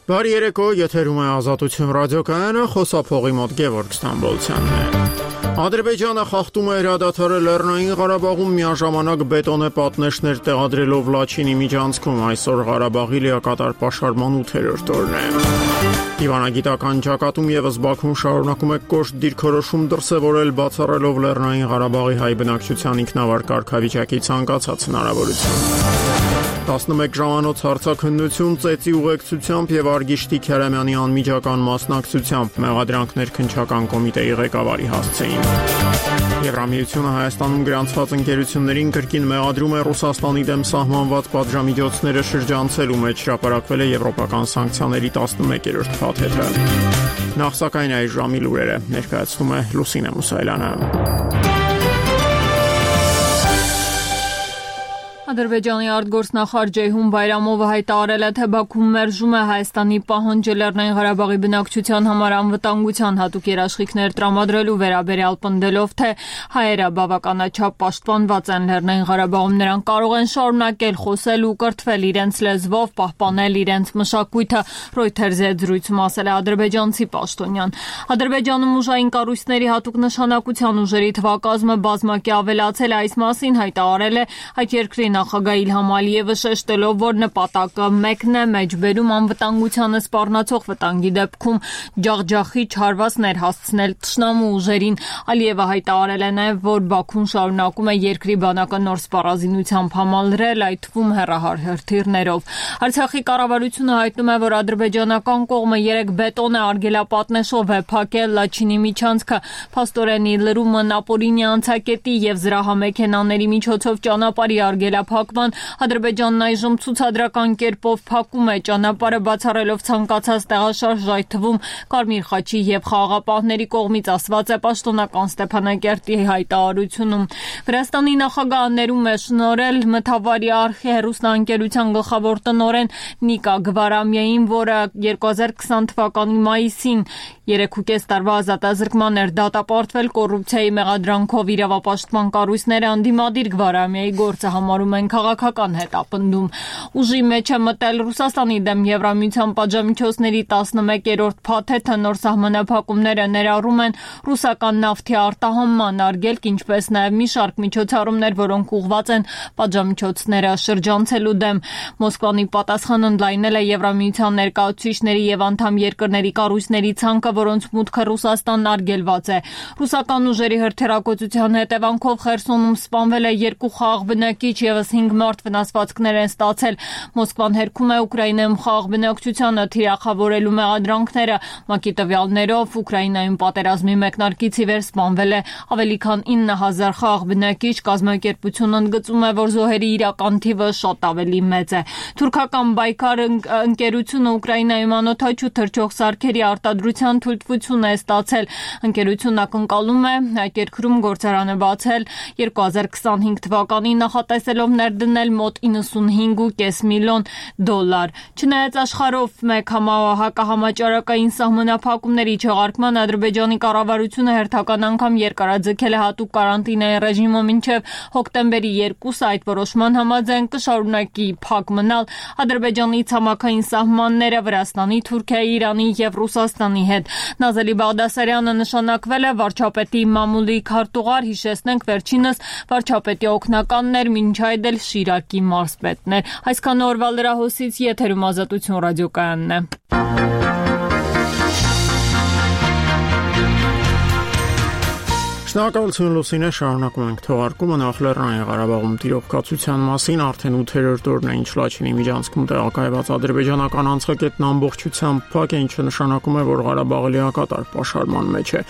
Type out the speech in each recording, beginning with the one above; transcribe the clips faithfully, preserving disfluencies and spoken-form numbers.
Բարի երեկո, եթերում է Ազատություն ռադիոկայանը, խոսափողի մոտ Գևորգ Ստամբոլցյանն է։ Ադրբեջանը խախտում է հրադադարը Լեռնային Ղարաբաղում միաժամանակ բետոնե պատնեշներ տեղադրելով Լաչինի միջանցքում, այսօր Ղարաբաղի լիակատար պաշարման ութերորդ օրն է։ Դիվանագիտական ճակատում եւս Բաքուն շարունակում է կոշտ դիրքորոշում դրսևորել, բացառելով Լեռնային Ղարաբաղի հայ բնակչության ինքնավար կարգավիճակի ցանկացած հնարավորություն։ տասնմեկ ժամանոց հարցաքննություն ծեծի ուղեկցությամբ եւ Արգիշտի Քարամյանի անմիջական մասնակցությամբ մեղադրանքներ քննչական կոմիտեի ղեկավարի հասցեին։ Եվրամիությունը Հայաստանում գրանցված ընկերություններին կրկին մեղադրում է Ռուսաստանի դեմ սահմանված պատժամիջոցները շրջանցելու մեջ հրապարակվել է եվրոպական սանկցիաների տասնմեկերորդ փաթեթը։ Նախ սակայն այս ժամի լուրերը ներկայացնում է Լուսինե Մուսայելյանը։ Ադրբեջանի արտգործնախարար Ceyhun Bayramova հայտարարել է, թե Բաքուն մերժում է Հայաստանի պահանջը Լեռնային Ղարաբաղի բնակչության համար անվտանգության հատուկ երաշխիքներ տրամադրելու վերաբերյալ, պնդելով, թե հայերը բավականաչափ պաշտպանված են Լեռնային Ղարաբաղում, նրանք կարող են շարունակել խոսել ու կրթվել իրենց լեզվով, պահպանել իրենց մշակույթը, Reuters-ի հետ զրույցում ասել է ադրբեջանցի պաշտոնյան։ Ադրբեջանում ուժային կառույցների հատուկ նշանակության ուժերի թվակազմը բազմակի ավելացել է, այս մասին հայտարարել է այդ երկրի նախագահ Իլհամ Ալիևը, շեշտելով, որ նպատակը մեկն է՝ մեջբերում անվտանգությանը սպառնացող վտանգի դեպքում ջախջախիչ հարվածներ հասցնել թշնամու ուժերին։ Ալիևը հայտարարել է նաև, որ Բաքուն շարունակում է երկրի բանակը նոր սպառազինությամբ համալրել, այդ թվում հեռահար հրթիռներով։ Արցախի կառավարությունը հայտնում է, որ ադրբեջանական կողմը երեք բետոնե արգելապատնեշով է փակել Լաչինի միջանցքը։ Փաստորեն լրումը Նապոլինի անցակետի եւ զրահամեքենաների միջոցով ճանապարհի արգելափակման, Ադրբեջանն այժմ ցուցադրական կերպով փակում է ճանապարհը, բացառելով ցանկացած տեղաշարժ, այդ թվում Կարմիր խաչի եւ խաղաղապահների կողմից, ասված է պաշտոնական Ստեփանակերտի հայտարարությունում։ Վրաստանի նախագահը ներում է շնորհել Մթավարի արխի հեռուստաընկերության գլխավոր տնօրեն Նիկա Գվարամյային, որը երկու հազար քսան թվականի մայիսին երեք ու կես տարվա ազատազրկման էր դատապարտվել կոռուպցիայի մեղադրանքով։ Իրավապաշտպան կառույցները անդիմադիր Գվարամյայի գործը համարում են քաղաքական հետապնդում։ Ուժի մեջ է մտել Ռուսաստանի դեմ Եվրամիության պատժամիջոցների տասնմեկերորդ փաթեթը, նոր սահմանափակումները ներառում են ռուսական նավթի արտահանման արգելք, ինչպես նաև մի շարք միջոցառումներ, որոնք ուղղված են պատժամիջոցները շրջանցելու դեմ։ Մոսկվան ի պատասխան ընդլայնել է Եվրամիության ներկայացուցիչների եւ անդամ երկրների կառույցների ցանկը, որոնց մուտքը Ռուսաստանն արգելված է։ Ռուսական ուժերի հրթիռակոծության հետևանքով Խերսոնում սպանվել է երկու խաղաղ բնակիչ, եւս հինգ մարդ վնասվածքներ են ստացել։ Մոսկվան հերքում է Ուկրաինայում խաղաղ բնակչությանը թիրախավորելու մեղադրանքները։ ՄԱԿ-ի տվյալներով Ուկրաինայում պատերազմի մեկնարկից ի վեր սպանվել է ավելի քան ինը հազար խաղաղ բնակիչ, կազմակերպությունն ընդգծում է, որ զոհերի իրական թիվը շատ ավելի մեծ է։ Թուրքական Բայկար ընկերությունը Ուկրաինայում անօդաչու թռչող սարքերի արտադրության թույլտվություն է ստացել։ Ընկերությունն ակնկալում է այդ երկրում գործարանը բացել երկու հազար քսանհինգ թվականին, նախատեսելով ներդնել մոտ իննսունհինգ ու կես միլիոն դոլար։ Չնայած աշխարհով մեկ հակահամաճարակային սահմանափակումների չեղարկման, Ադրբեջանի կառավարությունը հերթական անգամ երկարաձգել է հատուկ կարանտինային ռեժիմը մինչև հոկտեմբերի երկուսը, այդ որոշման համաձայն կշարունակի փակ մնալ Ադրբեջանի ցամաքային սահմանները Վրաստանի, Թուրքիայի, Իրանի եւ Ռուսաստանի հետ։ Նազելի Բաղդասարյանը նշանակվել է վարչապետի մամուլի քարտուղար, հիշեցնենք վերջինս վարչապետի օգնականն էր, մինչ այդ էլ Շիրակի մարզպետն էր։ Այսքան օրվա լրահոսից եթերում Ազատություն ռադիոկայանն է։ Շնորհակալություն Լուսինե, շարունակում ենք թողարկումը։ Նախ Լեռնային Ղարաբաղում տիրող կացության մասին, արդեն ութերորդ օրն է, ինչ Լաչինի միջանցքում տեղակայված ադրբեջանական անցակետն ամբողջությամբ փակ է, ինչը նշանակում է, որ Ղարաբաղը լիակատար պաշարման մեջ է։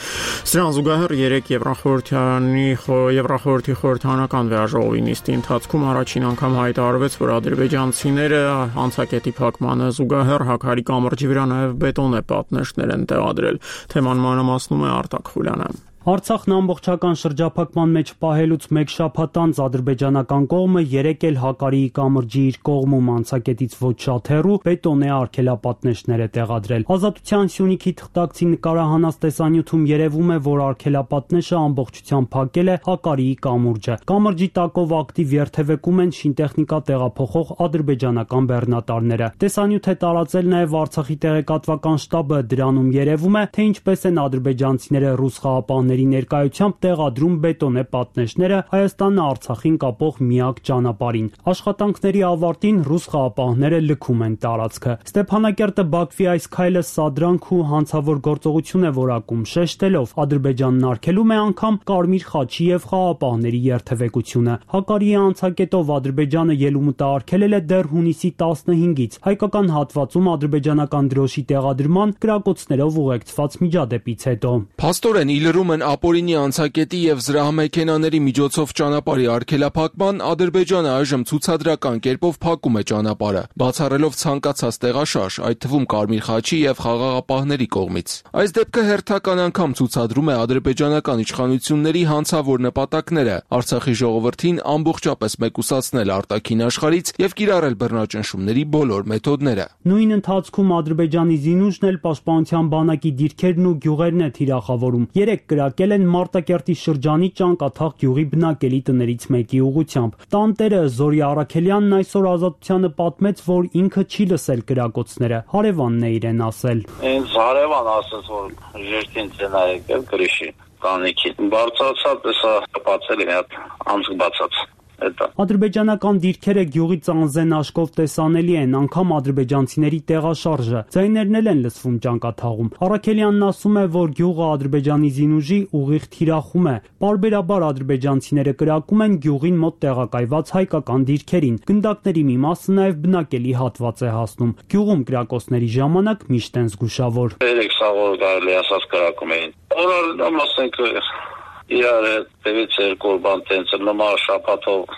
Սրան զուգահեռ երեք Եվրախորհրդյանի Եվրախորհրդի խորհրդանական վերաժողովի նիստի ընթացքում առաջին անգամ հայտարարվեց, որ ադրբեջանցիները անցակետի փակմանը զուգահեռ Հաքարի կամրջի վրա նաև բետոնե պատնեշներ են տեղադրել։ Թեման մանրամասնում է Արտակ Խուլյանը։ Արցախն ամբողջական շրջափակման մեջ պահելուց մեկ շաբաթ անց ադրբեջանական կողմը երեկ էլ Հակարիի կամրջի իր կողմում անցակետից ոչ շատ հեռու բետոնե արգելապատնեշներ է տեղադրել։ Ազատության Սյունիքի թղթակցի նկարահանած տեսանյութում երևում է, որ արգելապատնեշը ամբողջությամբ փակել է Հակարիի կամուրջը։ Կամրջի տակով ակտիվ երթևեկում են շինտեխնիկա տեղափոխող ադրբեջանական բեռնատարները։ Տեսանյութ է տարածել նաև Արցախի տեղեկատվական շտաբը, դրանում երևում է, թե ինչպես են ադրբեջանցիները ռուս խաղապահների ներկայությամբ տեղադրում բետոնե պատնեշները Հայաստանը Արցախին կապող միակ ճանապարհին։ Աշխատանքների ավարտին ռուս խաղապահները լքում են տարածքը։ Ստեփանակերտը Բաքվի այս քայլը սադրանք ու հանցավոր գործողություն է որակում, շեշտելով Ադրբեջանն արգելում է անգամ Կարմիր խաչի եւ խաղապահների երթևեկությունը։ Հակարիի անցակետով Ադրբեջանը ելումուտը արգելել է դեռ հունիսի տասնհինգից հայկական հատվածում ադրբեջանական դրոշի տեղադրման կրակոցներով ուղեկցված միջադեպից հետո։ Փաստորեն իլրում են ապօրինի անցակետի եւ զրահամեքենաների միջոցով ճանապարհի արգելափակման, Ադրբեջանը այժմ ցուցադրական կերպով փակում է ճանապարհը, բացառելով ցանկացած տեղաշարժ, այդ թվում Կարմիր խաչի եւ խաղաղապահների կողմից։ Այս դեպքը հերթական անգամ ցուցադրում է ադրբեջանական իշխանությունների հանցավոր նպատակները՝ Արցախի ժողովրդին ամբողջապես մեկուսացնել արտաքին աշխարհից եւ կիրառել բռնաճնշումների բոլոր մեթոդները։ Նույն ընթացքում Ադրբեջանի զինուժն էլ պաշտպանության բանակի դիրքերն ու գյուղերն է թիրախավորում։ Երեք կրակել են Մարտակերտի շրջանի Ճանկաթաղ գյուղի բնակելի տներից մեկի ուղղությամբ։ Տանտերը Զորի Արաքելյանն այսօր Ազատությանը պատմեց, որ ինքը չի լսել կրակոցները։ Հարևանն է իրեն ասել։ Ինձ հարևան ասաց, որ ժերտին ցենա եկել գրիշի կանիքի։ Բարձրացած էսա բացել է հատ անցք բացած։ Ադրբեջանական դիրքերը գյուղի ծանզեն աշկով տեսանելի են, անգամ ադրբեջանցիների տեղաշարժը։ Ձայներն էլ են լսվում Ճանկաթաղում։ Արաքելյանն ասում է, որ գյուղը ադրբեջանի զինուժի ուղիղ թիրախում է։ Պարբերաբար ադրբեջանցիները կրակում են գյուղին մոտ տեղակայված հայկական դիրքերին։ Գնդակների մի մասը նաև բնակելի հատված է հասնում։ Գյուղում կրակոցների ժամանակ միշտ են զգուշավոր։ Երեք սաղոր գարելի ասած կրակում էին։ Օրալ ամասենք իրար տևից երկու բան տենց նոմա շապատով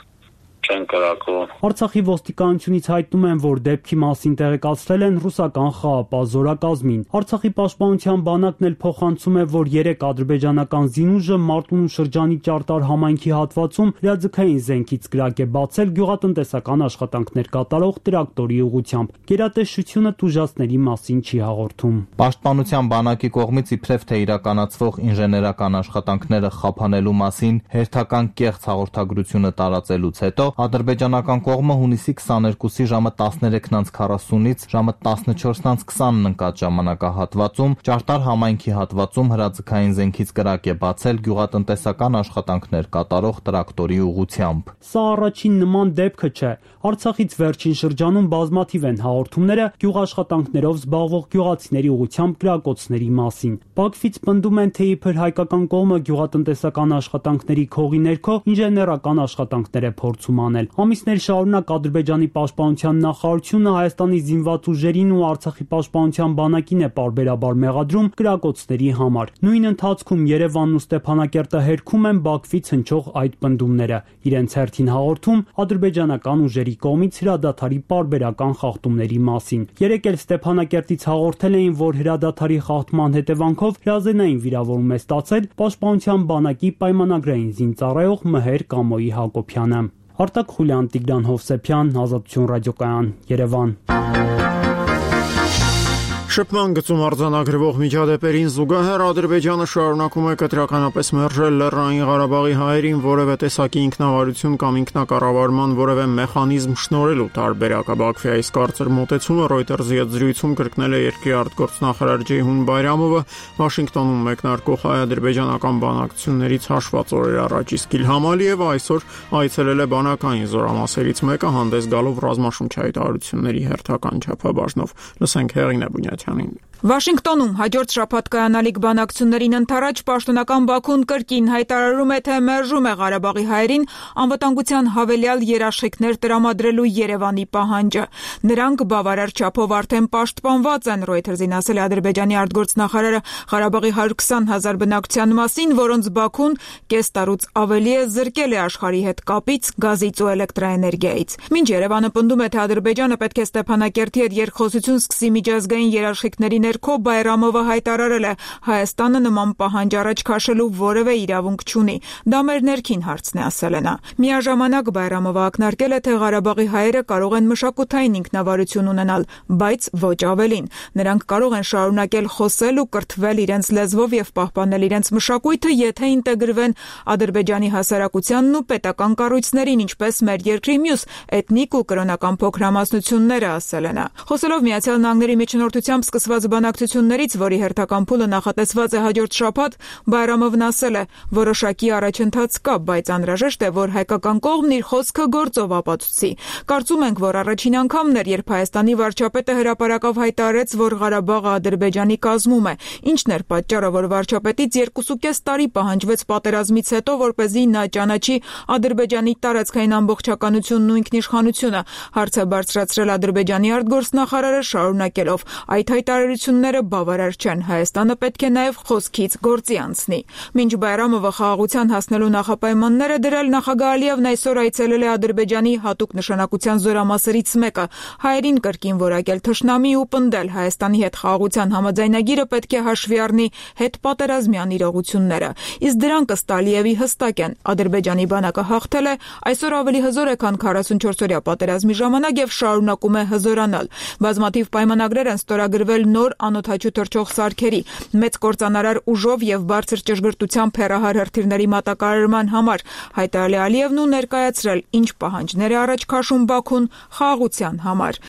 չեն կրակում։ Արցախի ոստիկանությունից հայտնում են, որ դեպքի մասին տեղեկացրել են ռուսական խաղապահ զորակազմին։ Արցախի պաշտպանության բանակն էլ փոխանցում է, որ երեք ադրբեջանական զինուժը Մարտունու շրջանի Ճարտար համայնքի հատվածում հրաձգային զենքից կրակ է բացել գյուղատնտեսական աշխատանքներ կատարող տրակտորի ուղղությամբ։ Գերատեսչությունը տուժածների մասին չի հաղորդում։ Պաշտպանության բանակի կողմից իբրև թե իրականացվող ինժեներական աշխատանքները խափանելու մասին հերթական կեղծ հաղորդագրությունը տարածելուց հետո ադրբեջանական կողմը հունիսի քսաներկուսի ժամը տասներեքն անց քառասունից ժամը տասնչորսն անց քսանն ընկած ժամանակահատվածում Ճարտար համայնքի հատվածում հրաձգային զենքից կրակ է բացել գյուղատնտեսական աշխատանքներ կատարող տրակտորի ուղղությամբ։ Սա առաջին նման դեպքը չէ։ Արցախից վերջին շրջանում բազմաթիվ են հաղորդումները գյուղաշխատանքներով զբաղվող գյուղացիների ուղղությամբ կրակոցների մասին։ Բաքվից պնդում են, թե իբր հայկական կողմը գյուղատնտեսական աշխատանքների քողի ներքո ինժեներական աշխատանքներ է փորձում անել։ Ամիսներ շարունակ Ադրբեջանի պաշտպանության նախարարությունը Հայաստանի զինված ուժերին ու Արցախի պաշտպանության բանակին է պարբերաբար մեղադրում կրակոցների համար։ Նույն ընթացքում Երևանն ու Ստեփանակերտը հերքում են Բաքվից հնչող այդ պնդումները։ Իրենց հերթին հաղորդում ադրբեջանական ուժերի կողմից հրադադարի պարբերական խախտումների մասին։ Երեկ էլ Ստեփանակերտից հաղորդել էին, որ հրադադարի խախտման հետևանքով հրազենային վիրավորում է ստացել պաշտպանության բանակի պայմանագրային զինծառայող Մհեր Կամոյի Հակոբյանը։ Արտակ Խուլյան, Տիգրան Հովսեփյան, Ազատություն ռադիոկայան, Երևան։ Շփման գծում արձանագրվող միջադեպերին զուգահեռ Ադրբեջանը շարունակում է կտրականապես մերժել Լեռնային Ղարաբաղի հայերին որևէ տեսակի ինքնավարություն կամ ինքնակառավարման որևէ մեխանիզմ շնորհելու տարբերակը։ Բաքվի այս կարծր մոտեցումը Reuters-ի հետ զրույցում կրկնել է երկրի արտգործնախարար Ջեյհուն Բայրամովը Վաշինգտոնում մեկնարկող հայ-ադրբեջանական բանակցություններից հաշված օրեր առաջ, իսկ Իլհամ Ալիևը այսօր այցելել է բանակային զորամասերից մեկը հանդես գալով ռազմաշնչային տարությունների հերթական չափաբաժնով։ Լսենք Հեղինե Բունյաթյանին։ Վաշինգտոնում հաջորդ շաբաթ կայանալիք բանակցություններին ընթരാճ պաշտոնական Բաքուն կրկին հայտարարում է, թե մերժում է Ղարաբաղի հայերին անվտանգության հավելյալ երաշխիքներ տրամադրելու Երևանի պահանջը։ Նրանք բավարար չափով արդեն պաշտպանված են, Reuters-ին ասել է Ադրբեջանի արտգործնախարարը Ղարաբաղի հարյուր քսան հազար բնակչության մասին, որոնց Բաքուն կես տարուց ավելի է զրկել է աշխարհի հետ կապից, գազից ու էլեկտրաէներգիայից։ Մինչ Երևանը պնդում է, թե Ադրբեջանը պետք է Ստեփանակերտի հետ երկխոսություն սկսի միջազգային երաշխիքներ երաշխիքների ներքո Բայրամովը հայտարարել է, Հայաստանը նման պահանջ առաջ քաշելու որևէ իրավունք չունի։ Դա մեր ներքին հարցն է, ասել է նա։ Միաժամանակ Բայրամովը ակնարկել է, թե Ղարաբաղի հայերը կարող են մշակութային ինքնավարություն ունենալ, բայց ոչ ավելին։ Նրանք կարող են շարունակել խոսել ու կրթվել իրենց լեզվով եւ պահպանել իրենց մշակույթը, եթե ինտեգրվեն Ադրբեջանի հասարակությանն ու պետական կառույցներին, ինչպես մեր երկրի մյուս էթնիկ ու կրոնական փոքրամասնությունները, ասել է նա։ Խոսելով Միացյալ Նահանգների միջնորդությամբ սկսված բանակցություններից, որի հերթական փուլը նախատեսված է հաջորդ շաբաթ, Բայրամովն ասել է, որոշակի առաջընթաց կա, բայց անհրաժեշտ է, որ հայկական կողմն իր խոսքը գործով ապացուցի։ Կարծում ենք, որ առաջին անգամն էր, երբ Հայաստանի վարչապետը հրապարակավ հայտարարեց, որ Ղարաբաղը Ադրբեջանի կազմում է։ Ինչն էր պատճառը, որ վարչապետից երկուսուկես տարի պահանջվեց պատերազմից հետո, որպեսզի նա ճանաչի Ադրբեջանի տարածքային ամբողջականությունն ու ինքնիշխանությունը, հարց է բարձրացրել Ադրբեջանի արտգործնախարարը, շարունակելով. այդ հայտարարությունները բավարար չեն, Հայաստանը պետք է նաև խոսքից գործի անցնի։ Մինչ Բայրամովը խաղաղության հասնելու նախապայմաններ է դրել, նախագահ Ալիևն այսօր այցելել է Ադրբեջանի հատուկ նշանակության զորամասերից մեկը, հայերին կրկին որակել թշնամի ու պնդել Հայաստանի հետ խաղաղության համաձայնագիրը պետք է հաշվի առնի հետպատերազմյան իրողությունները։ Իսկ դրանք ըստ Ալիևի հստակ են։ Ադրբեջանի բանակը հաղթել է, այսօր ավելի հզոր է, քան քառասունչորսօրյա պատերազմի ժամանակ եւ շարունակում է հզորանալ։ Բազմաթիվ պայմանագրեր են ստորագրվել նոր անօդաչու թռչող սարքերի, մեծ կործանարար ուժով եւ բարձր ճշգրտությամբ հեռահար հրթիռների մատակարարման համար, հայտարարել է Ալիևն ու ներկայացրել, ինչ պահանջներ է առաջ քաշում Բաքուն խաղաղության համար։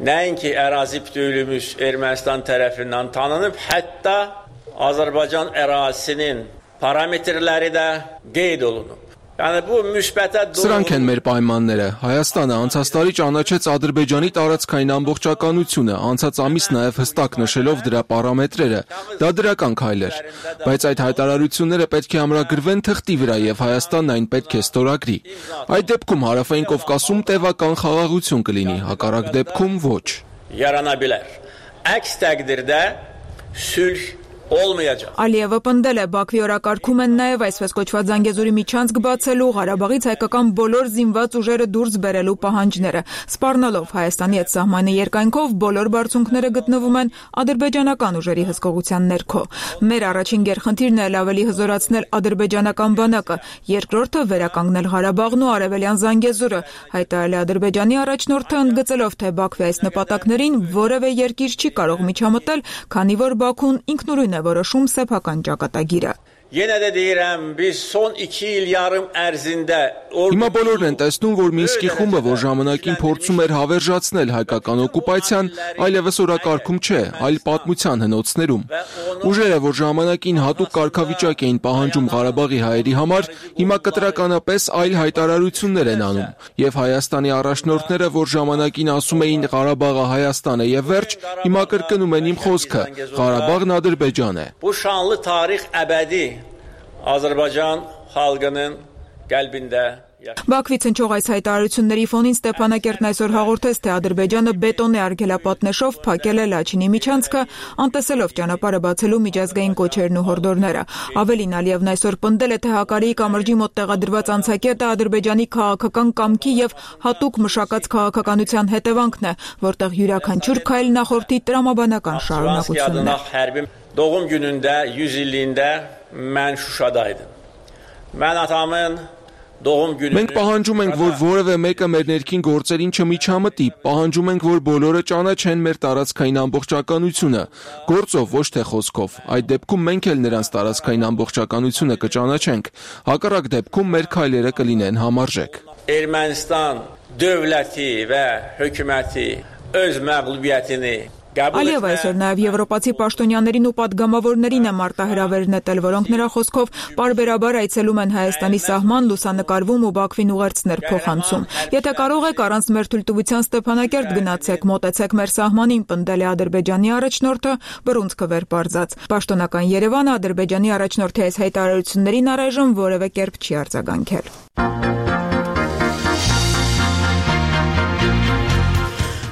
Nəinki ərazi bütövlüyümüz Ermənistan tərəfindən tanınıb, hətta Azərbaycan ərazisinin parametrləri də qeyd olunub. Yəni bu müsbətə Սրանք են մեր պայմանները։ Հայաստանը անցած տարի ճանաչեց Ադրբեջանի տարածքային ամբողջականությունը, անցած ամիս նաև հստակ նշելով դրա պարամետրերը։ Դա դրական քայլ էր, բայց այդ հայտարարությունները պետք է ամրագրվեն թղթի վրա եւ Հայաստանն այն պետք է ստորագրի։ Այդ դեպքում Հարավային Կովկասում տևական խաղաղություն կլինի, հակառակ դեպքում ոչ։ Yarana bilər. Əks təqdirdə sülh olmayacaq. Ալիևը պնդել է, Բաքվի օրակարգում են նաև այսպես կոչված Զանգեզուրի միջանցք բացելու, Ղարաբաղից հայկական բոլոր զինված ուժերը դուրս բերելու պահանջները, սպառնալով Հայաստանի հետ սահմանի երկայնքով բոլոր բարձունքները գտնվում են ադրբեջանական ուժերի հսկողության ներքո։ Մեր առաջին գերխնդիրն է ավելի հզորացնել ադրբեջանական բանակը, երկրորդը վերականգնել Ղարաբաղն ու արևելյան Զանգեզուրը, հայտարարել է Ադրբեջանի առաջնորդը, ընդգծելով, թե Բաքվի այս նպատակներին որևէ երկիր չի կարող միջամտել, քանի որ Բաքուն ինքնուրույն է որոշում սեփական ճակատագիրը։ Yenə də deyirəm, biz son iki il yarım ərzində Հիմա բոլորն են տեսնում, որ Մինսկի խումբը, որ ժամանակին փորձում էր հավերժացնել հայկական օկուպացիան, այլևս օրակարգում չէ, այլ պատմության հնոցներում։ Ուժերը, որ ժամանակին հատուկ կարգավիճակ էին պահանջում Ղարաբաղի հայերի համար, հիմա կտրականապես այլ հայտարարություններ են անում։ Եվ Հայաստանի առաջնորդները, որ ժամանակին ասում էին Ղարաբաղը Հայաստան է եւ վերջ, հիմա կրկնում են իմ խոսքը՝ Ղարաբաղն Ադրբեջան է։ Bu şanlı tarix əbədi Azərbaycan xalqının qəlbində Բաքվից հնչող այս հայտարարությունների ֆոնին Ստեփանակերտն այսօր հաղորդեց, թե Ադրբեջանը բետոնե արգելապատնեշով փակել է Լաչինի միջանցքը, անտեսելով ճանապարհը բացելու միջազգային կոչերն ու հորդորները։ Ավելին, Ալիևն այսօր պնդել է, թե Հակարիի կամրջի մոտ տեղադրված անցակետը Ադրբեջանի քաղաքական կամքի եւ հատուկ մշակած քաղաքականության հետևանքն է, որտեղ յուրաքանչյուր քայլ նախորդի տրամաբանական շարունակությունն է։ Doğum günündə yüz illiyində mən Şuşada idim. Mən atamın Մենք պահանջում ենք, որ որևէ մեկը մեր ներքին գործերին չմիջամտի, պահանջում ենք, որ բոլորը ճանաչեն մեր տարածքային ամբողջականությունը, գործով, ոչ թե խոսքով։ Այդ դեպքում մենք էլ նրանց տարածքային ամբողջականությունը կճանաչենք, հակառակ դեպքում մեր քայլերը կլինեն համարժեք։ Ermənistan dövləti və hökuməti öz məğlubiyyətini Ալիևը այսօր նաև եվրոպացի պաշտոնյաներին ու պատգամավորներին է մարտահրավեր նետել, որոնք նրա խոսքով պարբերաբար այցելում են Հայաստանի սահման, լուսանկարվում ու Բաքվին ուղերձներ փոխանցում։ Եթե կարող եք առանց մեր թույլտվության Ստեփանակերտ գնացեք, մոտեցեք մեր սահմանին, պնդել է Ադրբեջանի առաջնորդը, բռունցքը վեր պարզած։ Պաշտոնական Երևանը Ադրբեջանի առաջնորդի այս հայտարարություններին առայժմ որևէ կերպ չի արձագանքել։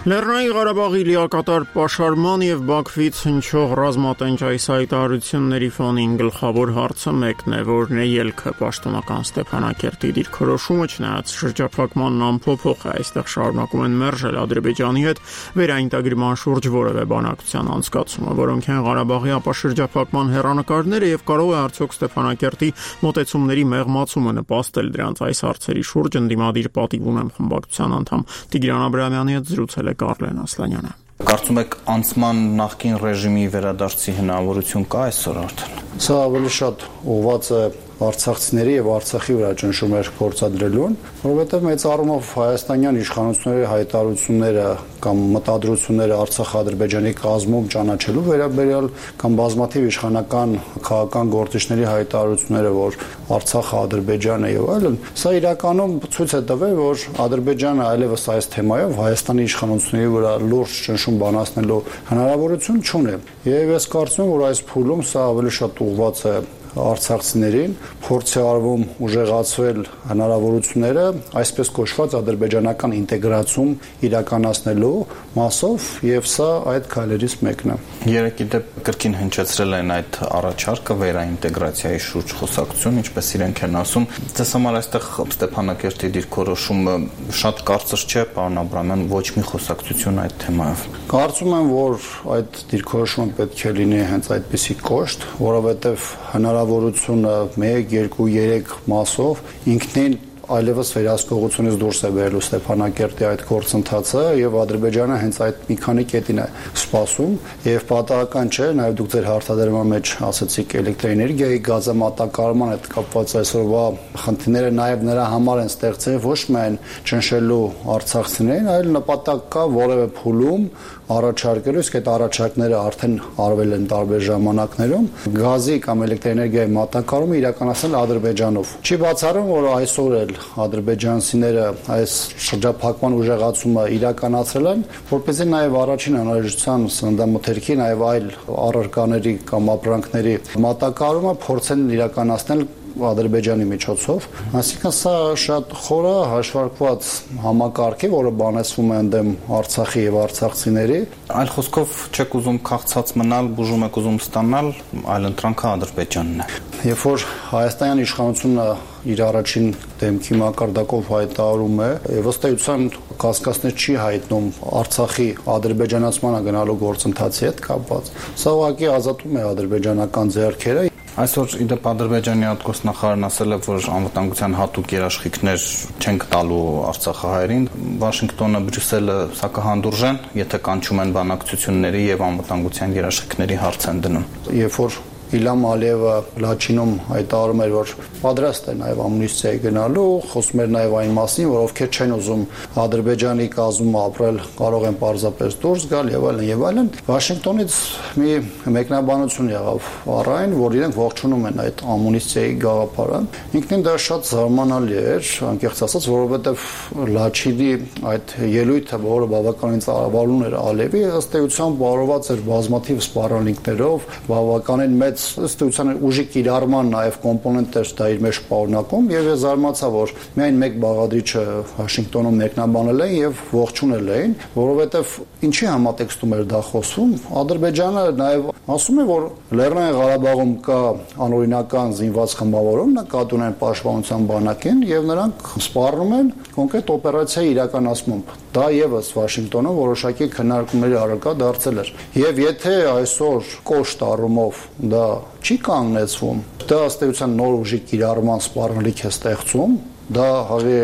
Լեռնային Ղարաբաղի լիակատար պաշարման եւ Բաքվից հնչող ռազմատենչ այս հայտարարությունների ֆոնին գլխավոր հարցը մեկն է, որն է ելքը պաշտոնական Ստեփանակերտի դիրքորոշումը, չնայած շրջափակմանն ամփոփող է, այստեղ շարունակում են մերժել Ադրբեջանի հետ վերաինտեգրման շուրջ որևէ բանակցության անցկացումը, որոնք են Ղարաբաղի ապաշրջափակման հեռանկարները եւ կարող է արդյոք Ստեփանակերտի մոտեցումների մեղմացումը նպաստել դրանց այս հարցերի շուրջ ընդդիմադիր պատիվ ունեմ խմբակցության անդամ Տիգրան Աբրահամյանի հետ զրուցել է Կարլեն Ասլանյանը։ Կարծում եք անցման նախկին ռեժիմի վերադարձի հնարավորություն կա այսօր արդեն։ Սա ավելի շատ ուղղված է արցախցիների եւ Արցախի վրա ճնշումներ գործադրելուն, որովհետեւ մեծ առումով հայաստանյան իշխանությունների հայտարարությունները կամ մտադրությունները Արցախ-Ադրբեջանի կազմում ճանաչելու վերաբերյալ կամ բազմաթիվ իշխանական քաղաքական գործիչների հայտարարությունները, որ Արցախը Ադրբեջան է եւ այլն, սա իրականում ցույց է տվել, որ Ադրբեջանը այլևս այս թեմայով Հայաստանի իշխանությունների վրա լուրջ ճնշում բանացնելու հնարավորություն չունի։ Եվ ես կարծում եմ, որ այս փուլում սա ավելի շատ ուղղված է արցախցիներին, փորձ է արվում ուժեղացվել հնարավորությունները այսպես կոչված ադրբեջանական ինտեգրացում իրականացնելու մասով եւ սա այդ քայլերից մեկն է։ Երեք դեպ կրկին հնչեցրել են այդ առաջարկը վերաինտեգրացիայի շուրջ խոսակցություն, ինչպես իրենք են ասում։ Ձեզ համար այստեղ Ստեփանակերտի դիրքորոշումը շատ կարծր չէ, պարոն Աբրահամյան, ոչ մի խոսակցություն այդ թեմայով։ Կարծում եմ, որ այդ դիրքորոշումը պետք է լինի հենց այդպիսի կոշտ, որովհետեւ հնարավորությունը մեկ, երկու, երեք մասով ինքնին այլևս վերահսկողությունից դուրս է բերելու Ստեփանակերտի այդ գործընթացը եւ Ադրբեջանը հենց այդ մի քանի կետին է սպասում եւ պատահական չէ, նաեւ դուք ձեր հարցադրման մեջ ասացիք էլեկտրոէներգիայի գազամատակարարման հետ կապված այսօրվա խնդիրները նաեւ նրա համար են ստեղծել ոչ միայն ճնշելու արցախցիներին, այլ նպատակ կա որևէ փուլում առաջարկելու, իսկ այդ առաջարկները արդեն արվել են տարբեր ժամանակներում գազի կամ էլեկտրոէներգիայի մատակարարումը իրականացնել Ադրբեջանով։ Չի բացառում, որ այսօր էլ ադրբեջանցիները այս շրջափակման ուժեղացումը իրականացրել են, որպեսզի նաև առաջին անհրաժեշտության սննդամթերքի, նաև այլ առարկաների կամ ապրանքների մատակարարումը փորձեն իրականացնել Ադրբեջանի միջոցով, այսինքն սա շատ խորը հաշվարկված համակարգ է, որը բանեցվում է ընդդեմ Արցախի եւ արցախցիների։ Այլ խոսքով չեք ուզում քաղցած մնալ, բուժում եք ուզում ստանալ, այլ ընտրանքը Ադրբեջանն է։ Երբ որ հայաստանյան իշխանությունը իր առաջին դեմքի մակարդակով հայտարարում է, ըստ էության կասկածներ չի հայտնում Արցախի ադրբեջանացմանը գնալու գործընթացի հետ կապված։ Սա ուղղակի ազատում է ադրբեջանական ձեռքերը։ Այսօր իդեպ Ադրբեջանի արտգործնախարարն ասել է, որ անվտանգության հատուկ երաշխիքներ չեն տալու արցախահայերին։ Վաշինգտոնը, Բրյուսելը սա կհանդուրժեն, եթե կանչում են բանակցությունների եւ անվտանգության երաշխիքների հարց են դնում։ Երբ որ Իլհամ Ալիևը Լաչինում հայտարարում էր, որ պատրաստ է նաև ամնիստիայի գնալու, խոսում էր նաև այն մասին, որ ովքեր չեն ուզում Ադրբեջանի կազմում ապրել, կարող են պարզապես դուրս գալ եւ այլն եւ այլն։ Վաշինգտոնից մի մեկնաբանություն եղավ առայն, որ իրենք ողջունում են այդ ամնիստիայի գաղափարը։ Ինքնին դա շատ զարմանալի էր, անկեղծ ասած, որովհետեւ Լաչինի այդ ելույթը, որը բավականին ծավալուն էր Ալիևի, ըստ էության բարոված էր բազմաթիվ սպառնալիքներով, բավականին մեծ ըստ էության ուժի կիրառման նաև կոմպոնենտ էր դա իր մեջ պարունակում եւ ես զարմացա, որ միայն մեկ բաղադրիչը Վաշինգտոնում մեկնաբանել են եւ ողջունել էին, որովհետեւ ինչի համատեքստում էր դա խոսվում։ Ադրբեջանը նաև ասում է, որ Լեռնային Ղարաբաղում կա անօրինական զինված խմբավորում, նկատի ունեն պաշտպանության բանակին եւ նրանք սպառնում են կոնկրետ օպերացիայի իրականացմամբ։ Դա եւս Վաշինգտոնում որոշակի քննարկումների առարկա դարձել էր։ Եվ եթե այսօր կոշտ առումով դա չի կանգնեցվում, դա ըստ էության նոր ուժի կիրառման սպառնալիք է ստեղծում, դա հավի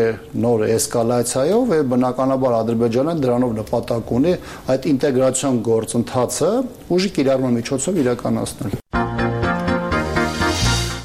նոր էսկալացիայով եւ բնականաբար Ադրբեջանը դրանով նպատակ ունի այդ ինտեգրացիոն գործընթացը ուժի կիրառման միջոցով իրականացնել։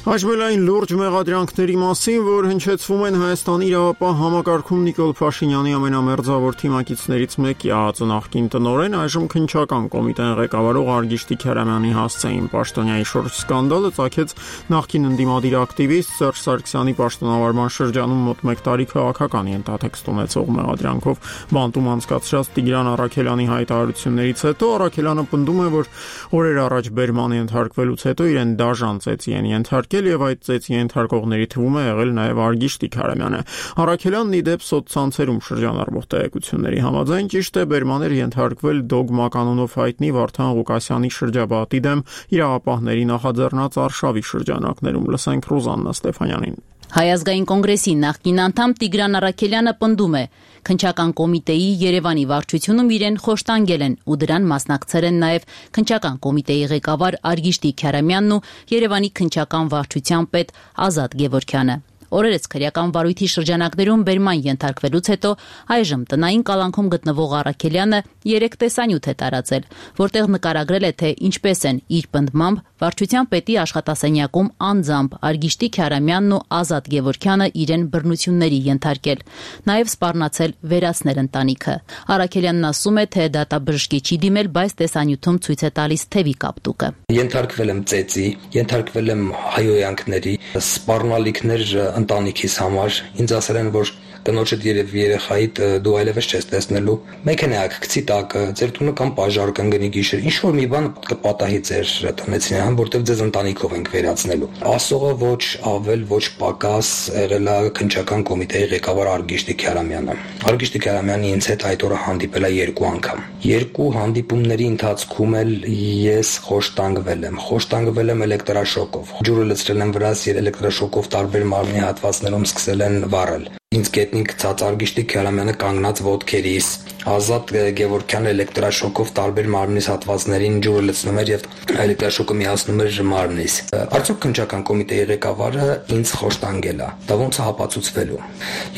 Հաշվելային լուրջ մեղադրանքների մասին, որ հնչեցվում են Հայաստանի իրավապահ համակարգում Նիկոլ Փաշինյանի ամենամերձավոր թիմակիցներից մեկի ԱԱԾ նախկին տնօրեն, այժմ քննչական կոմիտեն ղեկավարող Արգիշտի Քերամյանի հասցեին պաշտոնյայի շուրջ սկանդալը ծագեց նախկին ընդդիմադիր ակտիվիստ Սերժ Սարգսյանի պաշտոնավարման շրջանում մոտ մեկ տարի քաղաքական ենթատեքստ ունեցող մեղադրանքով բանտում անցկացրած Տիգրան Առաքելյանի հայտարարություններից հետո Առաքելյանը պնդում է, որ օրեր առաջ բերման ենթարկվելուց հետո իրեն դաժան ծեծի են ենթարկել հարձակել եւ այդ ծեծի ենթարկողների թվում է եղել նաեւ Արգիշտի Քարամյանը։ Առաքելյանն ի դեպ սոցցանցերում շրջանառվող տեղեկությունների համաձայն ճիշտ է բերմաներ ենթարկվել Դոգմա կանոնով հայտնի Վարդան Ղուկասյանի շրջապատի դեմ իրավապահների նախաձեռնած արշավի շրջանակներում։ Լսենք Ռուզաննա Ստեփանյանին։ Հայ ազգային կոնգրեսի նախկին անդամ Տիգրան Առաքելյանը պնդում է, քննչական կոմիտեի Երևանի վարչությունում իրեն խոշտանգել են ու դրան մասնակցել են նաև քննչական կոմիտեի ղեկավար Արգիշտի Քարամյանն ու Երևանի քննչական վարչության պետ Ազատ Գևորգյանը։ Օրերս քրեական վարույթի շրջանակներում բերման ենթարկվելուց հետո այժմ տնային կալանքում գտնվող Առաքելյանը երեք տեսանյութ է տարածել, որտեղ նկարագրել է, թե ինչպես են իր պնդմամբ վարչության պետի աշխատասենյակում անձամբ Արգիշտի Քարամյանն ու Ազատ Գևորգյանը իրեն բռնությունների ենթարկել, նաև սպառնացել վերացնել ընտանիքը։ Առաքելյանն ասում է, թե դատաբժշկի չի դիմել, բայց տեսանյութում ցույց է տալիս թևի կապտուկը։ Ենթարկվել եմ ծեծի, ենթարկվել եմ հայոյանքների, սպառնալիքներ ընտանիքիս համար, ինձ ասել են, որ տնոջդ երև երեխայիդ դու այլևս չես տեսնելու, մեքենայակ գցի տակը, ձեր տունը կամ պաժար կընկնի գիշեր, ինչ որ մի բան կպատահի ձեր տնեցին համ, որտեղ ձեզ ընտանիքով ենք վերացնելու։ Ասողը ոչ ավել, ոչ պակաս եղել է քննչական կոմիտեի ղեկավար Արգիշտի Քարամյանը։ Արգիշտի Քարամյանը ինձ հետ այդ օրը հանդիպել է երկու անգամ։ Երկու հանդիպումների ընթացքում էլ ես խոշտանգվել եմ, խոշտանգվել եմ էլեկտրաշոկով։ Ջուրը լցրել եմ վրաս, եւ էլեկտրաշոկով տարբեր մարմնի հատվածներում սկսել են վառել։ Ինձ գետնին գցած Արգիշտի Քարամյանը կանգնած ոտքերիս, Ազատ Գևորգյանը էլեկտրաշոկով տարբեր մարմնիս հատվածներին ջուրը լցնում էր եւ էլեկտրաշոկը միացնում էր մարմնիս։ Արդյոք քննչական կոմիտեի ղեկավարը ինձ խոշտանգել է։ Դա ոնց է հապացուցվելու։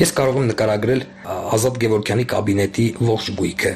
Ես կարող եմ նկարագրել Ազատ Գևորգյանի կաբինետի ողջ գույքը,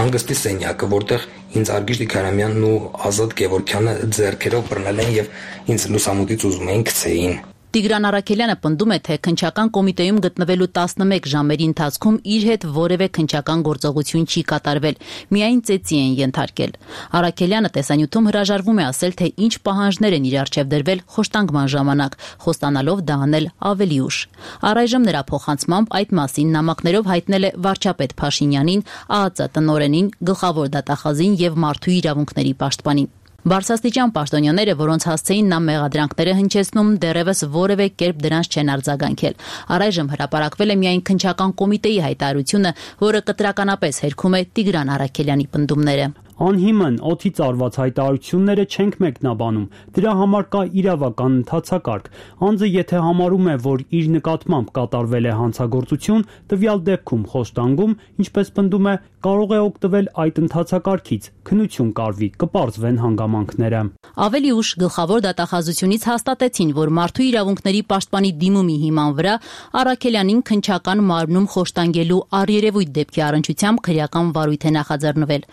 հանգստի սենյակը, որտեղ ինձ Արգիշտի Քարամյանն ու Ազատ Գևորգյանը ձեռքերով բռնել են եւ ինձ լուսամուտից ուզում էին գցեին։ Տիգրան Առաքելյանը պնդում է, թե քննչական կոմիտեում գտնվելու տասնմեկ ժամերի ընթացքում իր հետ որևէ քննչական գործողություն չի կատարվել, միայն ծեծի են ենթարկել։ Առաքելյանը տեսանյութում հրաժարվում է ասել, թե ինչ պահանջներ են իր առջև դրվել խոշտանգման ժամանակ, խոստանալով դա անել ավելի ուշ։ Առայժմ նրա փոխանցմամբ այդ մասին նամակներով հայտնել է վարչապետ Փաշինյանին, ԱԱԾ տնօրենին, գլխավոր դատախազին եւ մարդու իրավունքների պաշտպանին։ Բարձրաստիճան պաշտոնյաները, որոնց հասցեին նա մեղադրանքները հնչեցնում, դեռևս որևէ կերպ դրանց չեն արձագանքել։ Առայժմ հրապարակվել է միայն քննչական կոմիտեի հայտարարությունը, որը կտրականապես հերքում է Տիգրան Առաքելյանի պնդումները։ Անհիմն օդից արված հայտարարությունները չենք մեկնաբանում, դրա համար կա իրավական ընթացակարգ։ Անձը եթե համարում է, որ իր նկատմամբ կատարվել է հանցագործություն, տվյալ դեպքում խոշտանգում, ինչպես պնդում է, կարող է օգտվել այդ ընթացակարգից, քննություն կարվի, կպարզվեն հանգամանքները։ Ավելի ուշ գլխավոր դատախազությունից հաստատեցին, որ մարդու իրավունքների պաշտպանի դիմումի հիման վրա Առաքելյանին քննչական մարմնում խոշտանգելու առերևույթ դեպքի առնչությամբ քրեական վարույթ է նախաձեռնվել։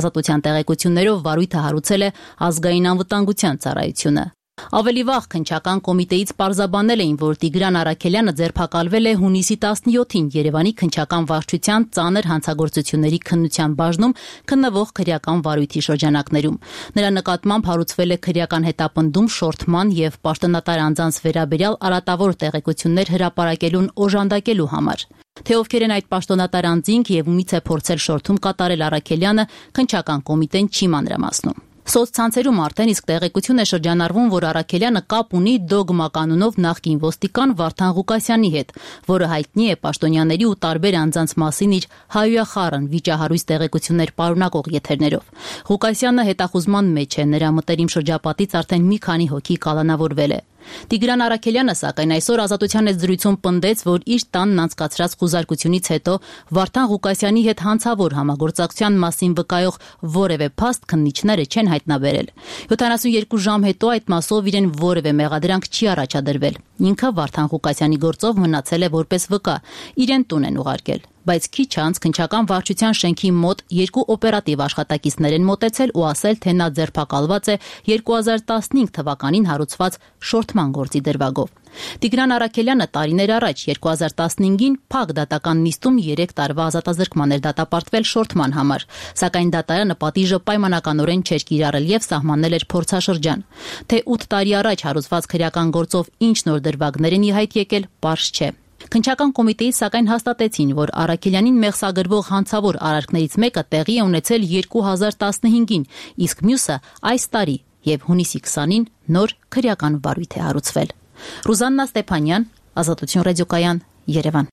Ազատության տեղեկություններով վարույթը հարուցել է ազգային անվտանգության ծառայությունը։ Ավելի վաղ քննչական կոմիտեից պարզաբանել էին, որ Տիգրան Առաքելյանը ձերբակալվել է հունիսի տասնյոթին Երևանի քննչական վարչության ծանր հանցագործությունների քննության բաժնում քննվող քրեական վարույթի շրջանակներում։ Նրա նկատմամբ հարուցվել է քրեական հետապնդում շորթման եւ պաշտոնատար անձանց վերաբերյալ արատավոր տեղեկություններ հրապարակելուն օժանդակելու համար։ Թե ովքեր են այդ պաշտոնատար անձինք եւ ումից է փորձել շորթում կատարել Առաքելյանը, քննչական կոմիտեն չի մանրամասնում։ Սոցցանցերում արդեն իսկ տեղեկություն է շրջանառվում, որ Առաքելյանը կապ ունի Դոգմա կանոնով նախկին ոստիկան Վարդան Ղուկասյանի հետ, որը հայտնի է պաշտոնյաների ու տարբեր անձանց մասին իր հայոյախառն վիճահարույց տեղեկություններ պարունակող եթերներով։ Ղուկասյանը հետախուզման մեջ է, նրա մտերիմ շրջապատից արդեն մի քանի հոգի կալանավորվել է։ Տիգրան Առաքելյանը սակայն այսօր Ազատության հետ զրույցում պնդեց, որ իր տանն անցկացրած խուզարկությունից հետո Վարդան Ղուկասյանի հետ հանցավոր համագործակցության մասին վկայող որևէ փաստ քննիչները չեն հայտնաբերել։ յոթանասունյոթ ժամ հետո այդ մասով իրեն որևէ մեղադրանք չի առաջադրվել։ Ինքը Վարդան Ղուկասյանի գործով մնացել է որպես վկա, իրեն տուն են ուղարկել։ Բայց քիչ անց քննչական վարչության շենքի մոտ երկու օպերատիվ աշխատակիցներ են մոտեցել ու ասել, թե նա ձերբակալված է երկու հազար տասնհինգ թվականին հարուցված շորթման գործի դրվագով։ Տիգրան Առաքելյանը տարիներ առաջ երկու հազար տասնհինգին փակ դատական նիստում երեք տարվա ազատազրկման էր դատապարտվել շորթման համար, սակայն դատարանը պատիժը պայմանականորեն չէր կիրառել եւ սահմանել էր փորձաշրջան։ Թե ութ տարի առաջ հարուցված քրեական գործով ինչ նոր դրվագներ են ի հայտ եկել, պարզ չէ։ Քննչական կոմիտեից սակայն հաստատեցին, որ Առաքելյանին մեղսագրվող հանցավոր արարքներից մեկը տեղի է ունեցել երկու հազար տասնհինգին, իսկ մյուսը այս տարի եւ հունիսի քսանին նոր քրեական վարույթ է հարուցվել։ Ռուզաննա Ստեփանյան, Ազատություն ռադիոկայան, Երևան։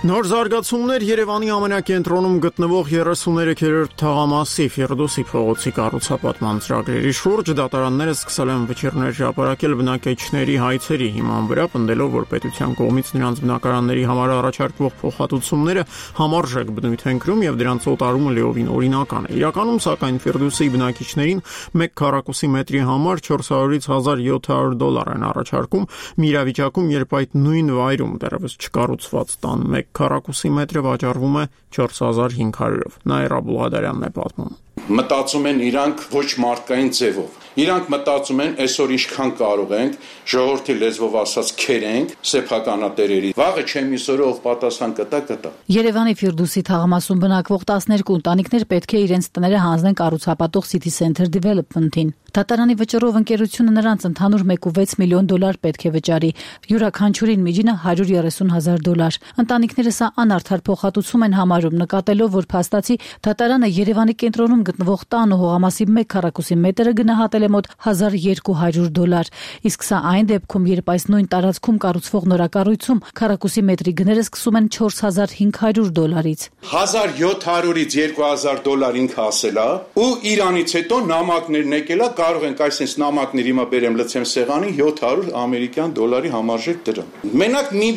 Նոր զարգացումներ Երևանի ամենակենտրոնում գտնվող երեսուներեքերորդ թաղամասի Ֆիրդուսի փողոցի կառուցապատման ծրագրերի շուրջ դատարանները սկսել են վճիռներ հրապարակել բնակիչների հայցերի հիման վրա, պնդելով, որ պետության կողմից նրանց բնակարանների համար առաջարկվող փոխհատուցումները համարժեք բնույթ են կրում եւ դրանց օտարումը լիովին օրինական է։ Իրականում, սակայն, Ֆիրդուսի բնակիչներին մեկ քառակուսի մետրի համար չորս հարյուրից հազար յոթ հարյուր դոլար են առաջարկում, մի իրավիճակում, երբ այդ նույն վայրում դեռևս չկառուցված տան մեկ քառակուսի մետրը վաճառվում է չորս հազար հինգ հարյուրով։ Նաիրա Բուլղադարյանն է պատմում։ Մտածում են իրանք ոչ մարդկային ձևով։ Իրանք մտածում են այսօր ինչքան կարող ենք ժողովրդի լեզվով ասած քերենք սեփականատերերի։ Վաղը չեմ իսօրը ով պատասխան կտա կտա։ Երևանի Ֆիրդուսի թաղամասում բնակվող տասներկու ընտանիքներ պետք է իրենց տները հանձնեն կառուցապատող City Center Development-ին։ Դատարանի վճռով ընկերությունը նրանց ընդհանուր մեկ կόμμα վեց միլիոն դոլար պետք է վճարի, յուրաքանչյուրին միջինը հարյուր երեսուն հազար դոլար։ Ընտանիքները սա անարդար փոխհատուցում են համարում, նկատելով, որ փաստացի դատարանը Երևանի կենտրոնում գտնվող տան ու հողամասի մեկ քառակուսի մետրը գնահատել է մոտ հազար երկու հարյուր դոլար, իսկ սա այն դեպքում, երբ այս նույն տարածքում կառուցվող նորակառույցում քառակուսի մետրի գները սկսում են չորս հազար հինգ հարյուր դոլարից։ հազար յոթ հարյուրից երկու հազար դոլար ինքը ասել է, ու իրանից հետո նամակներն եկել է, կարող ենք այսպես նամակներ հիմա բերեմ լցեմ սեղանին յոթ հարյուր ամերիկյան դոլարի համարժեք դրամ։ Մենակ մի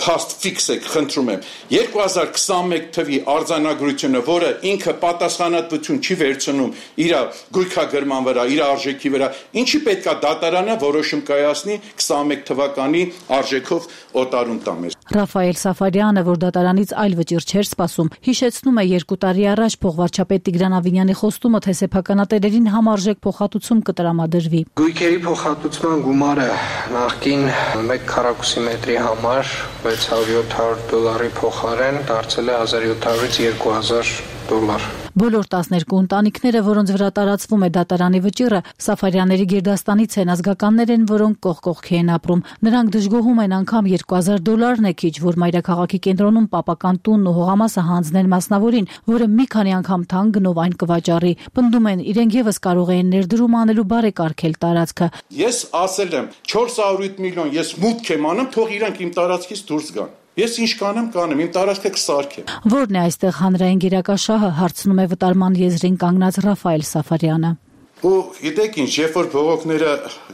փաստ ֆիքս եք, խնդրում եմ, երկու հազար քսանմեկ թվի արձանագրությունը, որը ինքը պատասխանատվություն չի վերցնում իր գույքագրման վրա, իր արժեքի վրա, ինչի պետքա դատարանը որոշում կայացնի քսանմեկ թվականի արժեքով օտարում տա մեզ։ Ռաֆայել Սաֆարյանը, որ դատարանից այլ վճիռ չէր սպասում, հիշեցնում է երկու տարի առաջ փոխվարչապետ Տիգրան Ավինյանի խոստումը, թե սեփականատերերին համարժեք փոխհատուցում կտրամադրվի։ Գույքերի փոխհատուցման գումարը նախկին մեկ քառակուսի մետրի համար վեց հարյուր յոթ հարյուր դոլարի փոխարեն դարձել է հազար յոթ հարյուրից երկու հազար դոլար։ Բոլոր տասներկու ընտանիքները, որոնց վրա տարածվում է դատարանի վճիռը, Սաֆարյանների գերդաստանից են, ազգականներ են, որոնք կողք կողքի են ապրում։ Նրանք դժգոհում են անգամ երկու հազար դոլարն է քիչ, որ մայրաքաղաքի կենտրոնում պապական տունն ու հողամասը հանձնեն մասնավորին, որը մի քանի անգամ թանկ գնով այն կվաճառի։ Պնդում են, իրենք եւս կարող են ներդրում անելու բարեկարգել տարածքը։ Ես ասել եմ չորս հարյուր միլիոն, ես մուտք եմ անում, թող իրանք իմ տարածքից դուրս գան։ Ես ինչ կանեմ, կանեմ, իմ տարածքը կսարքեմ։ Որն է այստեղ հանրային գերակաշահը, հարցնում է վտարման եզրին կանգնած Ռաֆայել Սաֆարյանը։ Ու գիտեք ինչ, երբ որ բողոքները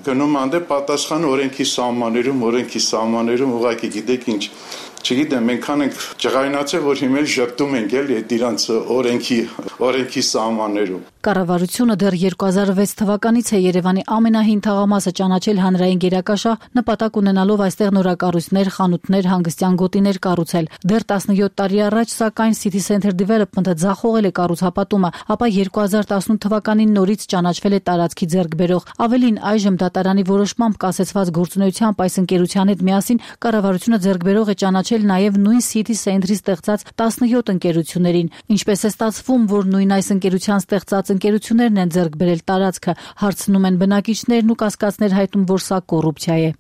գնում անդե պատասխանը օրենքի սահմաններում, օրենքի սահմաններում ուղղակի գիտեք ինչ, չգիտեմ, մենք ենք ջղայնացել, որ հիմա շփտում ենք էլի այդ իրանց օրենքի օրենքի սահմաններում։ Կառավարությունը դեռ երկու հազար վեց թվականից է Երևանի ամենահին թաղամասը ճանաչել հանրային գերակաշահ, նպատակ ունենալով այստեղ նորակառույցներ, խանութներ, հանգստյան գոտիներ կառուցել։ Դեռ տասնյոթ տարի առաջ, սակայն City Center Development-ը ձախողել է կառուցապատումը, ապա երկու հազար տասնութ թվականին նորից ճանաչվել է տարածքի ձեռքբերող։ Ավելին, այժմ դատարանի որոշմամբ կասեցված գործունեությամբ այս ընկերության հետ միասին կառավարությունը ձեռքբերող է ճանաչել նաև նույն City Center-ի ստեղծած տասնյոթ ընկերություններին։ Ինչպես է ստացվում, որ նույն այս ընկերության ստեղծած ընկերություններն են ձեռք բերել տարածքը, հարցնում են բնակիչներն ու կասկածներ հայտնում, որ սա կոռուպցիա է։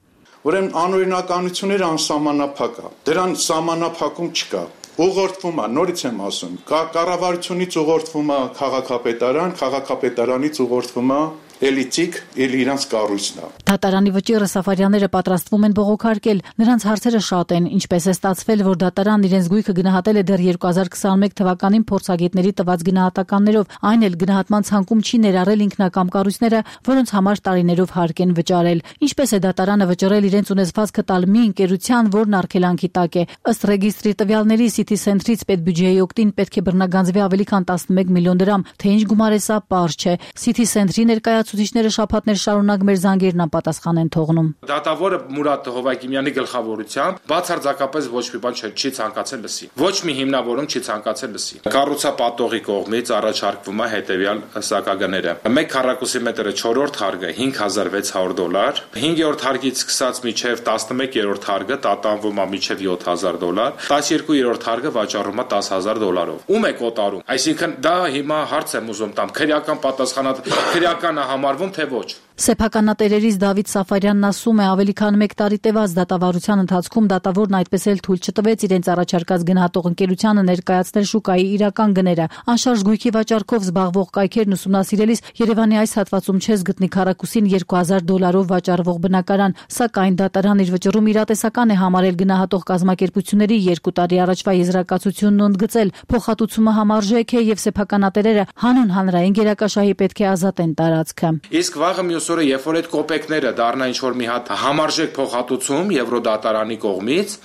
Ուրեմն անօրինականությունները անսահմանափակ է։ Դրան սահմանափակում չկա։ Ուղղորդվում է, նորից եմ ասում, կառավարությունից ուղղորդվում է քաղաքապետարան, քաղաքապետարանից ուղղորդվում է էլիտիկ, էլի իրանց կառույցն է։ Դատարանի վճիռը Սաֆարյանները պատրաստվում են բողոքարկել։ Նրանց հարցերը շատ են, ինչպես է ստացվել, որ դատարանն իրենց գույքը գնահատել է դեռ երկու հազար քսանմեկ թվականին փորձագետների տված գնահատականներով, այն էլ գնահատման ցանկում չի ներառել ինքնակամ կառույցները, որոնց համար տարիներով հարկ են վճարել։ Ինչպես է դատարանը վճռել իրենց ունեցվածքը տալ մի ընկերության, որն արգելանքի տակ է։ Ըստ ռեգիստրի տվյալների City Center-ից պետբյուջեի օգտին պետք է բռնագանձվի ավելի քան տասնմեկ միլիոն դրամ, թե ինչ գումար է սա պարզ չէ։ City Center-ի ներկայացուցիչները շաբաթներ շարունակ մեր զանգերն անպատասխան են թողնում։ Դատավորը Մուրադ Հովակիմյանի գլխավորությամբ բացարձակապես ոչ մի բան չի ցանկացել լսի։ Ոչ մի հիմնավորում չի ցանկացել լսի։ Կառուցապատողի կողմից առաջարկվում է հետևյալ սակագները։ մեկ քառակուսի մետրը չորրորդ հարկը հինգ հազար վեց հարյուր դոլար, հինգերորդ հարկից սկսած մինչև տասնմեկերորդ հարկը տատանվում է մինչև յոթ հազար դոլար, տասներկուերորդ հարկը վաճառվում է դաս հազար դոլարով։ Ում է կոտարում։ Այսինքն դա հիմա հարց եմ ուզում տամ, քրեական պատասխանատ քրեականը համարվում թե ոչ։ Սեփականատերերից Դավիթ Սաֆարյանն ասում է, ավելի քան մեկ տարի տևած դատավարության ընթացքում դատավորն այդպես էլ թույլ չտվեց իրենց առաջարկած գնահատող ընկերությանը ներկայացնել շուկայի իրական գները։ Անշարժ գույքի վաճառքով զբաղվող կայքերն ուսումնասիրելիս Երևանի այս հատվածում չես գտնի քառակուսին երկու հազար դոլարով վաճառվող բնակարան, սակայն դատարան իր վճռում իրատեսական է համարել գնահատող կազմակերպությունների երկու տարի առաջվա եզրակացությունն ընդգծել։ Փոխհատուցումը համարժեք է եւ սեփականատերերը հանուն հանրային գերակաշահի պետք է ազատեն տարածքը։ Իսկ վաղը մյուս օրը, երբ որ այդ կոպեկները դառնա ինչ որ մի հատ համարժեք փոխհատուցում Եվրոդատարանի կողմից,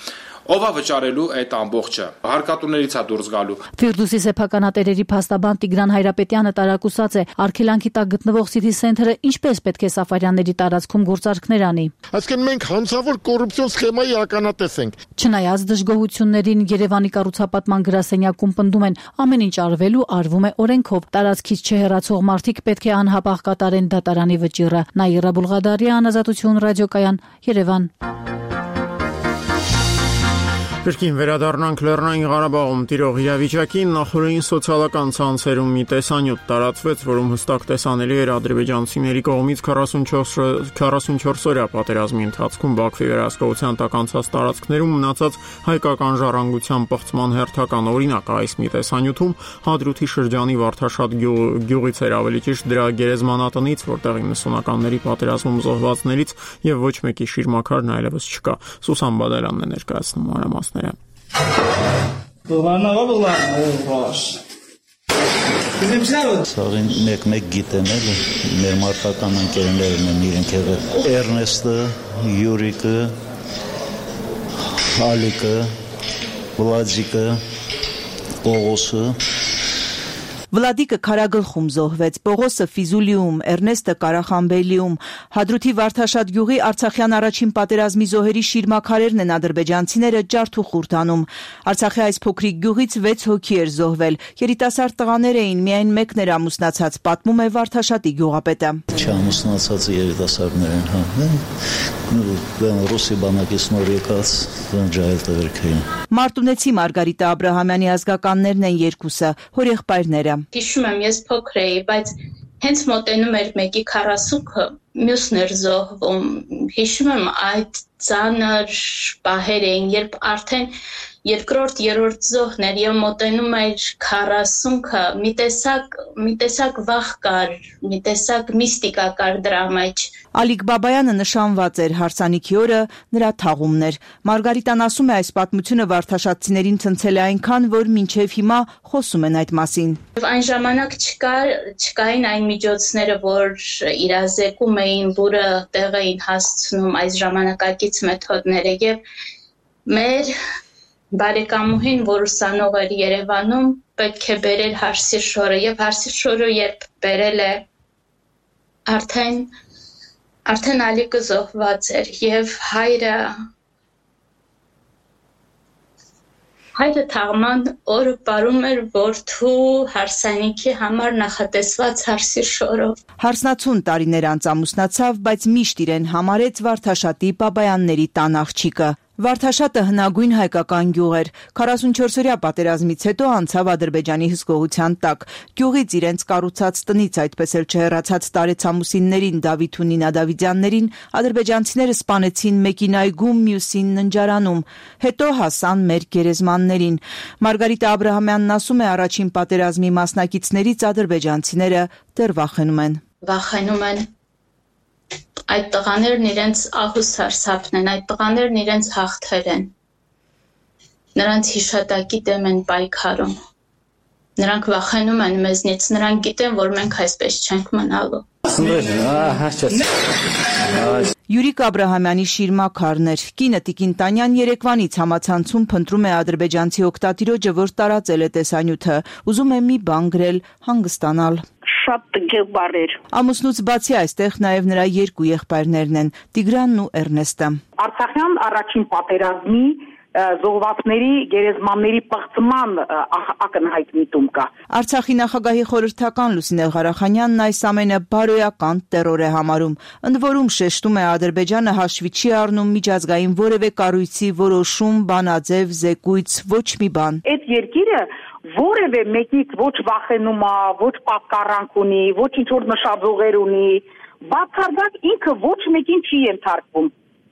ով է վճարելու այդ ամբողջը, հարկատուներից է դուրս գալու։ Ֆիրդուսի սեփականատերերի փաստաբան Տիգրան Հայրապետյանը տարակուսած է, արգելանքի տակ գտնվող City Center-ը ինչպես պետք է Սաֆարյանների տարածքում գործարքներ անի։ Այսինքն մենք հանցավոր կոռուպցիոն սխեմայի ականատես ենք։ Չնայած դժգոհություններին Երևանի կառուցապատման գրասենյակում պնդում են, ամեն ինչ արվելու արվում է օրենքով, տարածքից չհեռացող մարդիկ պետք է անհապաղ կատարեն դատարանի վճիռը։ Նաիրա Բուլղադարյան, Ազատություն ռադիոկայան, Երևան։ Կրկին վերադառնանք Լեռնային Ղարաբաղում տիրող իրավիճակին, նախորդին սոցիալական ցանցերում մի տեսանյութ տարածվեց, որում հստակ տեսանելի էր ադրբեջանցիների կողմից քառասունչորս օրյա պատերազմի ընթացքում Բաքվի վերահսկողության տակ անցած տարածքներում մնացած հայկական ժառանգության պղծման հերթական օրինակ։ Այս մի տեսանյութում Հադրութի շրջանի Վարդաշատ գյուղից էր, ավելի ճիշտ դրա գերեզմանատնից, որտեղ իննսունականների պատերազմում զոհվածներից եւ ոչ մեկի շիրմաքարն այլևս չկա։ Սուսան Բադալյանն է ներկայացնում մանրամասները։ Սաղին մեկ-մեկ գիտեմ էլ, մեր մարտական ընկերներն են իրենք եղել, Էրնեստը, Յուրիկը, Ալիկը, Վլադիկը, Պողոսը։ Վլադիկը Քարագլխում զոհվեց, Պողոսը Ֆիզուլիում, Էրնեստը Կարախանբելիում։ Հադրութի Վարդաշատ գյուղի Արցախյան առաջին պատերազմի զոհերի շիրմաքարերն են ադրբեջանցիները ջարդ ու խուրդ անում։ Արցախի այս փոքրիկ գյուղից վեց հոգի էր զոհվել։ Երիտասարդ տղաներ էին, միայն մեկն էր ամուսնացած, պատմում է Վարդաշատի գյուղապետը։ Չամուսնացած երիտասարդներ են, հա։ Ռուսի բանակից նոր եկած ջահել տղերքային։ Մարտունեցի Մարգարիտա Աբրահամյանի ազգականներն են երկուսը, հորեղբայրները։ Հիշում եմ, ես փոքր էի, բայց հենց մոտենում էր մեկի քառասունքը, մյուսն էր զոհվում։ Հիշում եմ այդ ծանր պահեր էին, երբ արդեն երկրորդ, երրորդ զոհն էր եւ մոտենում էր քառասունքը, մի տեսակ, մի տեսակ վախ կար, մի տեսակ միստիկա կար դրա մեջ։ Ալիկ Բաբայանը նշանված էր, հարսանիքի օրը նրա թաղումն էր։ Մարգարիտան ասում է, այս պատմությունը վարդաշատցիներին ցնցել է այնքան, որ մինչև հիմա խոսում են այդ մասին։ Այն ժամանակ չկար, չկային այն միջոցները, որ իրազեկում էին, որը տեղ էին հասցնում այս ժամանակակից մեթոդները եւ մեր բարեկամուհին, որ ուսանող էր Երևանում, պետք է բերել Հարսիր շորը եւ Հարսիր շորը երբ բերել է, արդեն արդեն Ալիկը զոհված էր եւ հայրը հայրը թաղման օրը պարում էր որդու հարսանիքի համար նախատեսված Հարսիր շորով։ Հարսնացուն տարիներ անց ամուսնացավ, բայց միշտ իրեն համարեց Վարդաշատի Բաբայանների տան աղջիկը։ Վարդաշատը հնագույն հայկական գյուղ էր։ քառասունչորսօրյա պատերազմից հետո անցավ Ադրբեջանի հսկողության տակ։ Գյուղից իրենց կառուցած տնից, այդպես էլ չհեռացած տարեցամուսիններին Դավիթ ու Նինա Դավիթյաններին ադրբեջանցիները սպանեցին մեկին այգում, մյուսին ննջարանում։ Հետո հասան մեր գերեզմաններին։ Մարգարիտա Աբրահամյանն ասում է, առաջին պատերազմի մասնակիցներից ադրբեջանցիները դեռ վախենում են։ Վախենում են այդ տղաներն իրենց ահուս սարսափն են, այդ տղաներն իրենց հաղթեր են, նրանց հիշատակի դեմ են պայքարում, նրանք վախենում են մեզնից, նրանք գիտեն, որ մենք այսպես չենք մնալու։ Յուրիկ Աբրահամյանի շիրմաքարն էր։ Կինը Տիկին Տանյան երեկվանից համացանցում փնտրում է ադրբեջանցի օգտատիրոջը, որ տարածել է տեսանյութը, ուզում է մի բան գրել, հանգստանալ։ Շատ տգեղ բառեր։ Ամուսնուց բացի այստեղ նաև նրա երկու եղբայրներն են՝ Տիգրանն ու Էրնեստը։ Արցախյան առաջին պատերազմի զոհվածների գերեզմանների պղծման ակնհայտ միտում կա։ Արցախի նախագահի խորհրդական Լուսինե Ղարախանյանն այս ամենը բարոյական տերոր է համարում։ Ընդ որում շեշտում է, Ադրբեջանը հաշվի չի առնում միջազգային որևէ կառույցի որոշում, բանաձև, զեկույց, ոչ մի բան։ Այդ երկիրը որևէ մեկից ոչ վախենում է, ոչ պատկառանք ունի, ոչ ինչ որ նշաձողեր ունի, բացարձակ ինքը ոչ մեկին չի ենթարկվում։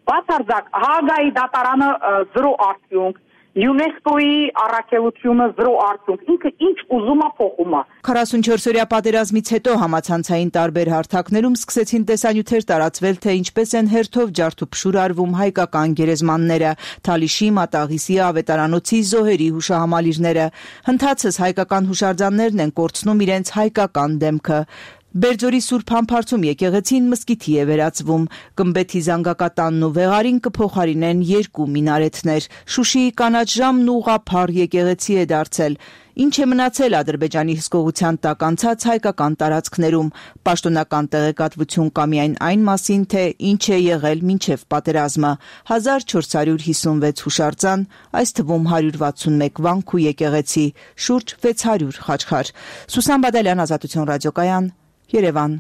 Բացարձակ Հաագայի դատարանը զրո արդյունք, ՅՈՒՆԵՍԿՕ-ի առաքելությունը զրո արդյունք, ինքը ինչ ուզում է փոխում է։ քառասունչորսօրյա պատերազմից հետո համացանցային տարբեր հարթակներում սկսեցին տեսանյութեր տարածվել, թե ինչպես են հերթով ջարդուփշուր արվում հայկական գերեզմանները, Թալիշի, Մատաղիսի, Ավետարանոցի, Զոհերի հուշահամալիրները։ Հնդածս հայկական հուշարձաններն են կորցնում իրենց հայկական դեմքը։ Բերձորի Սուրբ Համբարձում եկեղեցին մզկիթի է վերածվում, Գմբեթի զանգակատանն ու Վեղարին կփոխարինեն երկու մինարեթներ, Շուշիի կանաչ ժամն ուղղափառ եկեղեցի է դարձել։ Ինչ է մնացել Ադրբեջանի հսկողության տակ անցած հայկական տարածքներում, պաշտոնական տեղեկատվություն կա միայն այն մասին, թե ինչ է եղել մինչև պատերազմը, հազար չորս հարյուր հիսունվեց հուշարձան, այս թվում հարյուր վաթսունմեկ վանք ու եկեղեցի, շուրջ վեց հարյուր խաչքար։ Սուսան Բադալյան, Ազատություն ռադիոկայան, Երևան։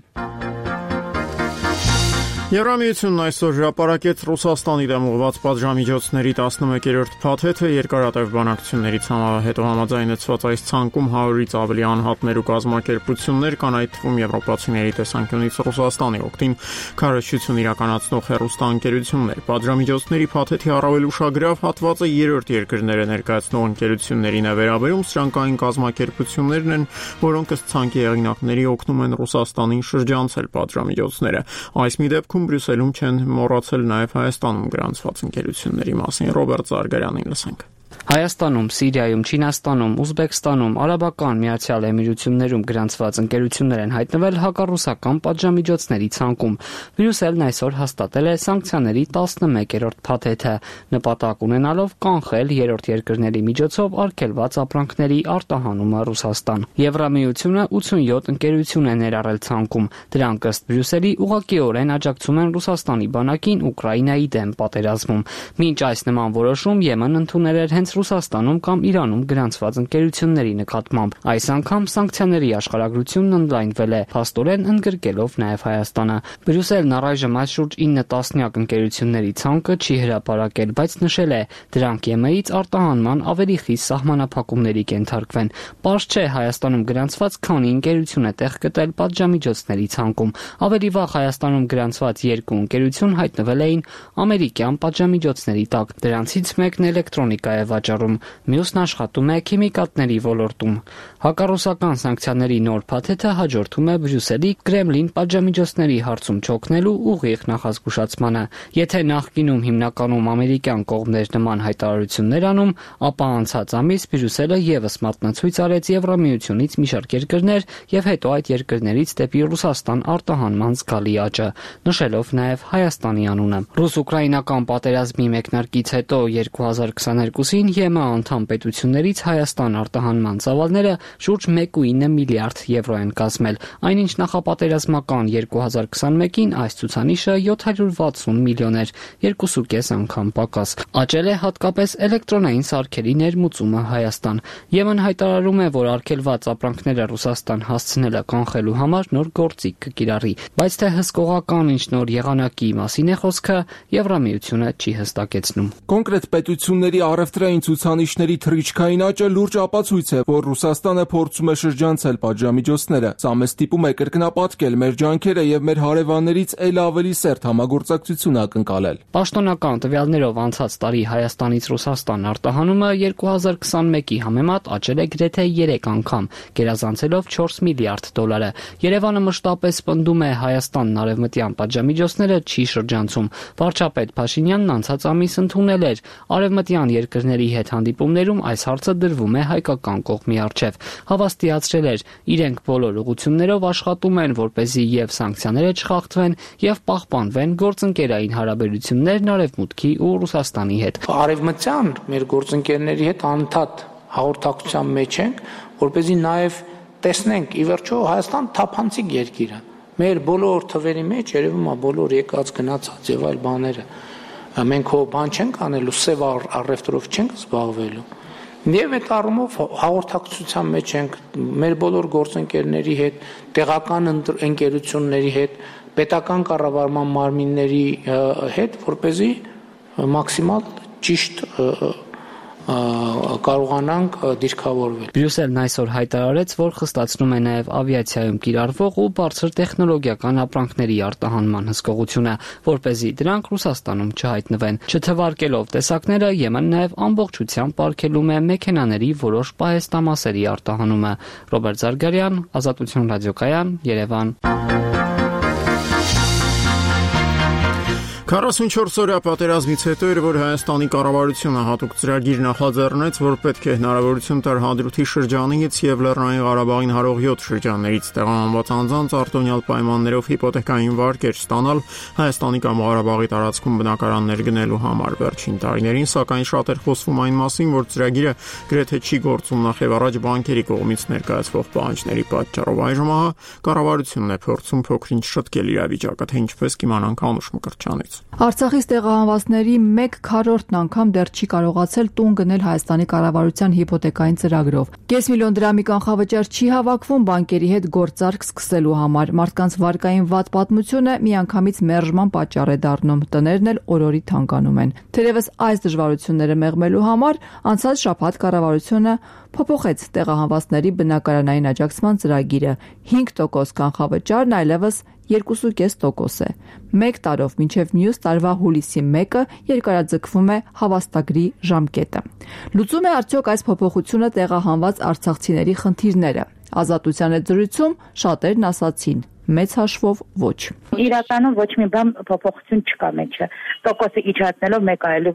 Եվրամիությունն այսօր հրապարակեց Ռուսաստանի դեմ ուղղված պատժամիջոցների տասնմեկերորդ փաթեթը, երկարատև բանակցություններից հետո համաձայնեցված այս ցանկում հարյուրից ավելի անհատներ ու կազմակերպություններ կան, այդ թվում եվրոպացիների տեսանկյունից Ռուսաստանի օգտին քարոզչություն իրականացնող հեռուստաընկերություններ։ Պատժամիջոցների փաթեթի առավել ուշագրավ հատվածը երրորդ երկրները ներկայացնող ընկերություններին է վերաբերում, սրանք այն կազմակերպություններն են, որոնք ըստ ցանկի հեղինակների օգնում են Ռուսաստանին շրջանցել պատժամիջոցները։ Այս մի դեպքում Բրյուսելում չեն մոռացել նաև Հայաստանում գրանցված ընկերությունների մասին։ Ռոբերտ Զարգարյանին լսենք։ Հայաստանում, Սիրիայում, Չինաստանում, Ուզբեկստանում, Արաբական Միացյալ Էմիրություններում գրանցված ընկերություններ են հայտնվել հակառուսական պատժամիջոցների ցանկում։ Բրյուսելն այսօր հաստատել է սանկցիաների տասնմեկերորդ փաթեթը, նպատակ ունենալով կանխել երրորդ երկրների միջոցով արգելված ապրանքների արտահանումը Ռուսաստան։ Եվրամիությունը ութսունյոթ ընկերություն է ներառել ցանկում։ Դրանք ըստ Բրյուսելի ուղղակիորեն աջակցում են Ռուսաստանի բանակին Ուկրաինայի դեմ պատերազմում։ Մինչ այս նման որոշում Եմեն ընդունել էր հենց Ռուսաստանում կամ Իրանում գրանցված ընկերությունների նկատմամբ։ Այս անգամ սանկցիաների աշխարհագրությունն ընդլայնվել է, փաստորեն ընդգրկելով նաև Հայաստանը։ Բրյուսելն առայժմ այս շուրջ ինը տասնյակ ընկերությունների ցանկը չի հրապարակել, բայց նշել է, դրանք ԵՄ-ից արտահանման ավելի խիստ սահմանափակումների կենթարկվեն։ Պարզ չէ Հայաստանում գրանցված քանի ընկերություն է տեղ գտել պատժամիջոցների ցանկում։ Ավելի վաղ Հայաստանում գրանցված երկու ընկերություն հայտնվել էին ամերիկյան պատժամիջոցների տակ։ Դրանցից մեկն էլեկտրոնիկա է վաճառում, մյուսն աշխատում է քիմիկատների ոլորտում։ Հակառուսական սանկցիաների նոր փաթեթը հաջորդում է Բրյուսելի Կրեմլին պատժամիջոցների հարցում չօգնելու ուղիղ նախազգուշացմանը։ Եթե նախկինում հիմնականում ամերիկյան կողմներ նման հայտարարություններ անում, ապա անցած ամիս Բրյուսելը եւս մատնացույց արեց Եվրամիությունից մի շարք երկրներ եւ հետո այդ երկրներից դեպի Ռուսաստան արտահանման զգալի աճը, նշելով նաեւ Հայաստանի անունը։ Ռուս-ուկրաինական պատերազմի մեկնարկից հետո երկու հազար քսաներկուսին ԵՄ անդամ պետություններից Հայաստան արտահանման ծավալները շուրջ մեկ կoma ինը միլիարդ եվրո են կազմել, այնինչ նախապատերազմական երկու հազար քսանմեկին այս ցուցանիշը յոթ հարյուր վաթսուն միլիոն էր, երկու կես անգամ պակաս։ Աճել է հատկապես էլեկտրոնային սարքերի ներմուծումը Հայաստան։ ԵՄ-ն հայտարարում է, որ արգելված ապրանքները Ռուսաստան հասցնելը կանխելու համար նոր գործիք կկիրառի, բայց թե հսկողական ինչ նոր եղանակի մասին է խոսքը, Եվրամիությունը չի հստակեցնում։ Կոնկրետ պետությունների առևտրային ցուցանիշների թռիչքային աճը լուրջ ապացույց է, որ Ռուսաստանը փորձում է շրջանցել պատժամիջոցները։ Սա մեզ ստիպում է կրկնապատկել մեր ջանքերը եւ մեր հարևաններից ել ավելի սերտ համագործակցություն ակնկալել։ Պաշտոնական տվյալներով անցած տարի Հայաստանից Ռուսաստան արտահանումը երկու հազար քսանմեկի համեմատ աճել է գրեթե երեք անգամ, գերազանցելով չորս միլիարդ դոլարը։ Երևանը մշտապես պնդում է Հայաստանն արևմտյան պատժամիջոցները չի շրջանցում։ Վարչապետ Փաշինյանն անցած ամիս ընդունել էր արևմտյան երկրների հետ հանդիպումներում այս հարցը դրվում է հայկական կողմի առջև։ Հավաստիացրել էր, իրենք բոլոր ուղղություններով աշխատում են, որպեսզի եւ սանկցիաները չխախտվեն եւ պահպանվեն գործընկերային հարաբերություններն Արևմուտքի ու Ռուսաստանի հետ։ Արևմտյան մեր գործընկերների հետ անընդհատ հաղորդակցության մեջ ենք, որպեսզի նաեւ տեսնենք ի վերջո Հայաստան թափանցիկ երկիր է։ Մեր բոլոր թվերի մեջ երևում է բոլոր եկած գնացած եւ այլ բաները։ Մենք հո բան չենք անելու, սև առևտրով չենք զբաղվելու։ Եվ այդ առումով հաղորդակցության մեջ ենք մեր բոլոր գործընկերների հետ, տեղական ընկերությունների հետ, պետական կառավարման մարմինների հետ, որպեսզի մաքսիմալ ճիշտ կարողանանք դիրքավորվել։ Բրյուսելն այսօր հայտարարեց, որ խստացնում է նաև ավիացիայում կիրառվող ու բարձր տեխնոլոգիական ապրանքների արտահանման հսկողությունը, որպեսզի դրանք Ռուսաստանում չհայտնվեն։ Չթվարկելով տեսակները, Եմեն նաև ամբողջությամբ արգելում է մեքենաների որոշ պահեստամասերի արտահանումը։ Ռոբերտ Զարգարյան, Ազատություն ռադիոկայան, Երևան։ քառասունչորս օրյա պատերազմից հետո էր, որ Հայաստանի կառավարությունը հատուկ ծրագիր նախաձեռնեց, որ պետք է հնարավորություն տար Հադրութի շրջանից եւ Լեռնային Ղարաբաղին հարող յոթ շրջաններից տեղահանված անձանց արտոնյալ պայմաններով հիպոթեկային վարկեր ստանալ Հայաստանի կամ Ղարաբաղի տարածքում բնակարաններ գնելու համար։ Վերջին տարիներին, սակայն, շատ էր խոսվում այն մասին, որ ծրագիրը գրեթե չի գործում նախ եւ առաջ բանկերի կողմից ներկայացվող պահանջների պատճառով։ Այժմ ահա կառավարությունն է փորձում փոքրինչ շտկել իրավիճակը, թե ինչպես կիմանանք Անուշ Մկրտչյանից։ Արցախից տեղահանվածների մեկ քառորդն անգամ դեռ չի կարողացել տուն գնել Հայաստանի կառավարության հիպոթեկային ծրագրով։ Կես միլիոն դրամի կանխավճար չի հավաքվում բանկերի հետ գործարք սկսելու համար։ Մարդկանց վարկային վատ պատմությունը միանգամից մերժման պատճառ է դառնում, տներն էլ օրորի թանկանում են։ Թերևս այս դժվարությունները մեղմելու համար անցած շաբաթ կառավարությունը փոփոխեց տեղահանվածների բնակարանային աջակցման ծրագիրը։ հինգ տոկոս կանխավճարն այլևս երկու կόμμα պենս տոկոս է։ Մեկ տարով մինչև մյուս տարվա հուլիսի մեկը երկարաձգվում է հավաստագրի ժամկետը։ Լուծում է արդյոք այս փոփոխությունը տեղահանված արցախցիների խնդիրները։ Ազատության հետ զրույցում շատերն ասացին. մեծ հաշվով ոչ։ Իրականում ոչ մի բան փոփոխություն չկա մեջը։ Տոկոսը իջեցնելով մեկ այլ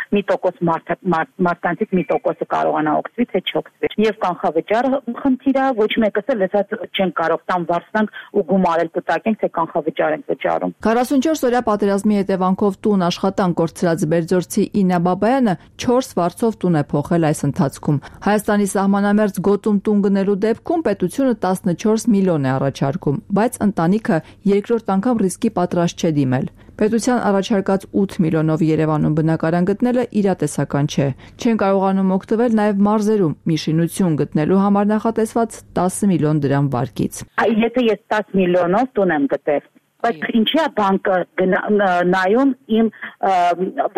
մի տոկոս մարդկանցից մի տոկոսը կարողանա օգտվի, թե չօգտվի։ Եվ կանխավճարը խնդիր է, ոչ մեկս էլ լսած չեն կարող տան վարձանք ու գումարել կտակենք, թե կանխավճար ենք վճարում։ քառասունչորս օրյա պատերազմի հետևանքով տուն աշխատանք կորցրած Բերձորցի Իննա Բաբայանը չորս վարձով տուն է փոխել այս ընթացքում։ Հայաստանի սահմանամերձ գոտում տուն գնելու դեպքում պետությունը տասնչորս միլիոն է առաջարկում, բայց ընտանիքը երկրորդ անգամ ռիսկի պատրաստ չէ դիմել։ Պետության առաջարկած ութ միլիոնով Երևանում բնակարան գտնելը իրատեսական չէ։ Չեն կարողանում օգտվել նաև մարզերում մի շինություն գտնելու համար նախատեսված տասը միլիոն դրամ վարկից։ Եթե ես տասը միլիոնով տուն եմ գտել, բայց ինչի՞ է բանկը նայում իմ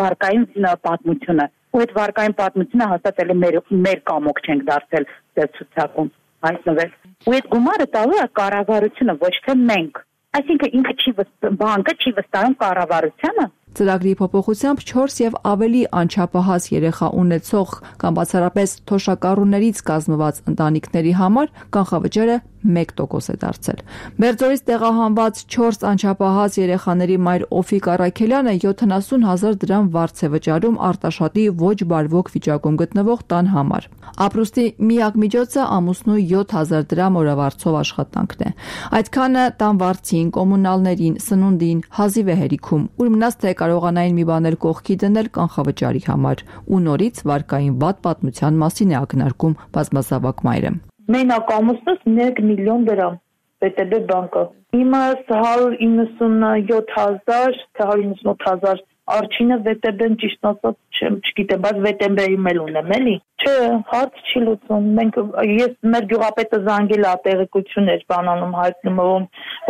վարկային պատմությունը։ Ու այդ վարկային պատմությունը հաստատ էլ մեր մեր կամոք չենք դարձել դեր ցուցակում հայտնվել։ Ու այդ գումարը տալու է կառավարությունը, ոչ թե մենք։ Այսինքն ինքը չի բանկը չի վստահում կառավարությանը։ Ծրագրի փոփոխությամբ չորս եւ ավելի անչափահաս երեխա ունեցող կամ բացառապես թոշակառուներից կազմված ընտանիքների համար կանխավճարը մեկ տոկոս է դարձել։ Բերձորից տեղահանված չորս անչափահաս երեխաների մայր Օֆիկ Առաքելյանը յոթանասուն հազար դրամ վարձ է վճարում Արտաշատի ոչ բարվոք վիճակում գտնվող տան համար։ Ապրուստի միակ միջոցը ամուսնու յոթ հազար դրամ օրավարձով աշխատանքն է։ Այդքանը տան վարձին, կոմունալներին, սնունդին, հազիվ է հերիքում, ուր մնաց թե կարողանային մի բան էլ կողքի դնել կանխավճարի համար, ու նորից վարկային վատ պատմության մասին է ակնարկում բազմազավակ մայրը։ Մենակ ամուսնուս մեկ միլիոն դրամ վե տե բե բանկը։ Իմս հարյուր իննսունյոթ հազար, թե հարյուր իննսունութ հազար Արջինը վե տե բեն ճիշտ ասած չեմ, չգիտեմ, բայց վե տե բեի էլ ունեմ, էլի։ Չէ, հարց չի լուծում։ Մենք ես մեր գյուղապետը զանգել է տեղեկություններ բանանում հայտնում,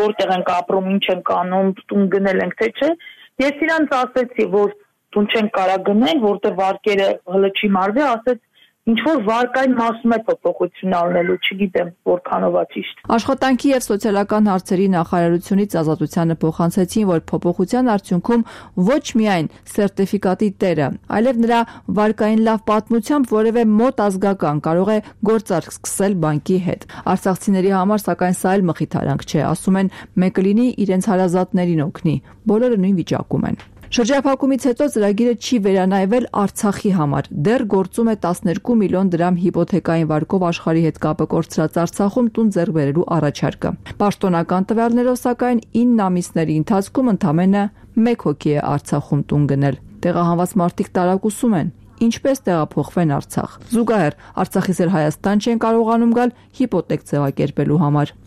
որտեղ ենք ապրում, ինչ ենք անում, տուն գնել ենք, թե չէ։ Ես իրանց ասեցի, որ տուն չեն կարա գնել, որտեղ վարկերը հլը չի մարվի, ասեց ինչ որ վարկային մասում է փոփոխություն առնելու, չգիտեմ որքանով է ճիշտ։ Աշխատանքի եւ սոցիալական հարցերի նախարարությունից Ազատությանը փոխանցեցին, որ փոփոխության արդյունքում ոչ միայն սերտիֆիկատի տերը, այլև նրա վարկային լավ պատմությամբ որևէ մոտ ազգական կարող է գործարք սկսել բանկի հետ։ Արցախցիների համար սակայն սա էլ մխիթարանք չէ, ասում են, մեկը լինի իրենց հարազատներին օգնի, բոլորը նույն վիճակում են։ Շրջափակումից հետո ծրագիրը չի վերանայվել Արցախի համար։ Դեռ գործում է տասներկու միլիոն դրամ հիպոթեկային վարկով աշխարհի հետ կապը կորցրած Արցախում տուն ձեռք բերելու առաջարկը։ Պաշտոնական տվյալներով սակայն ինը ամիսների ընթացքում ընդամենը մեկ հոգի է Արցախում տուն գնել։ Տեղահանված մարդիկ տարակուսում են, ինչպես տեղափոխվեն Արցախ։ Զուգահեռ Արցախից էլ Հայաստան չեն կարողանում գալ հիպոթեք ձևակերպելու համար։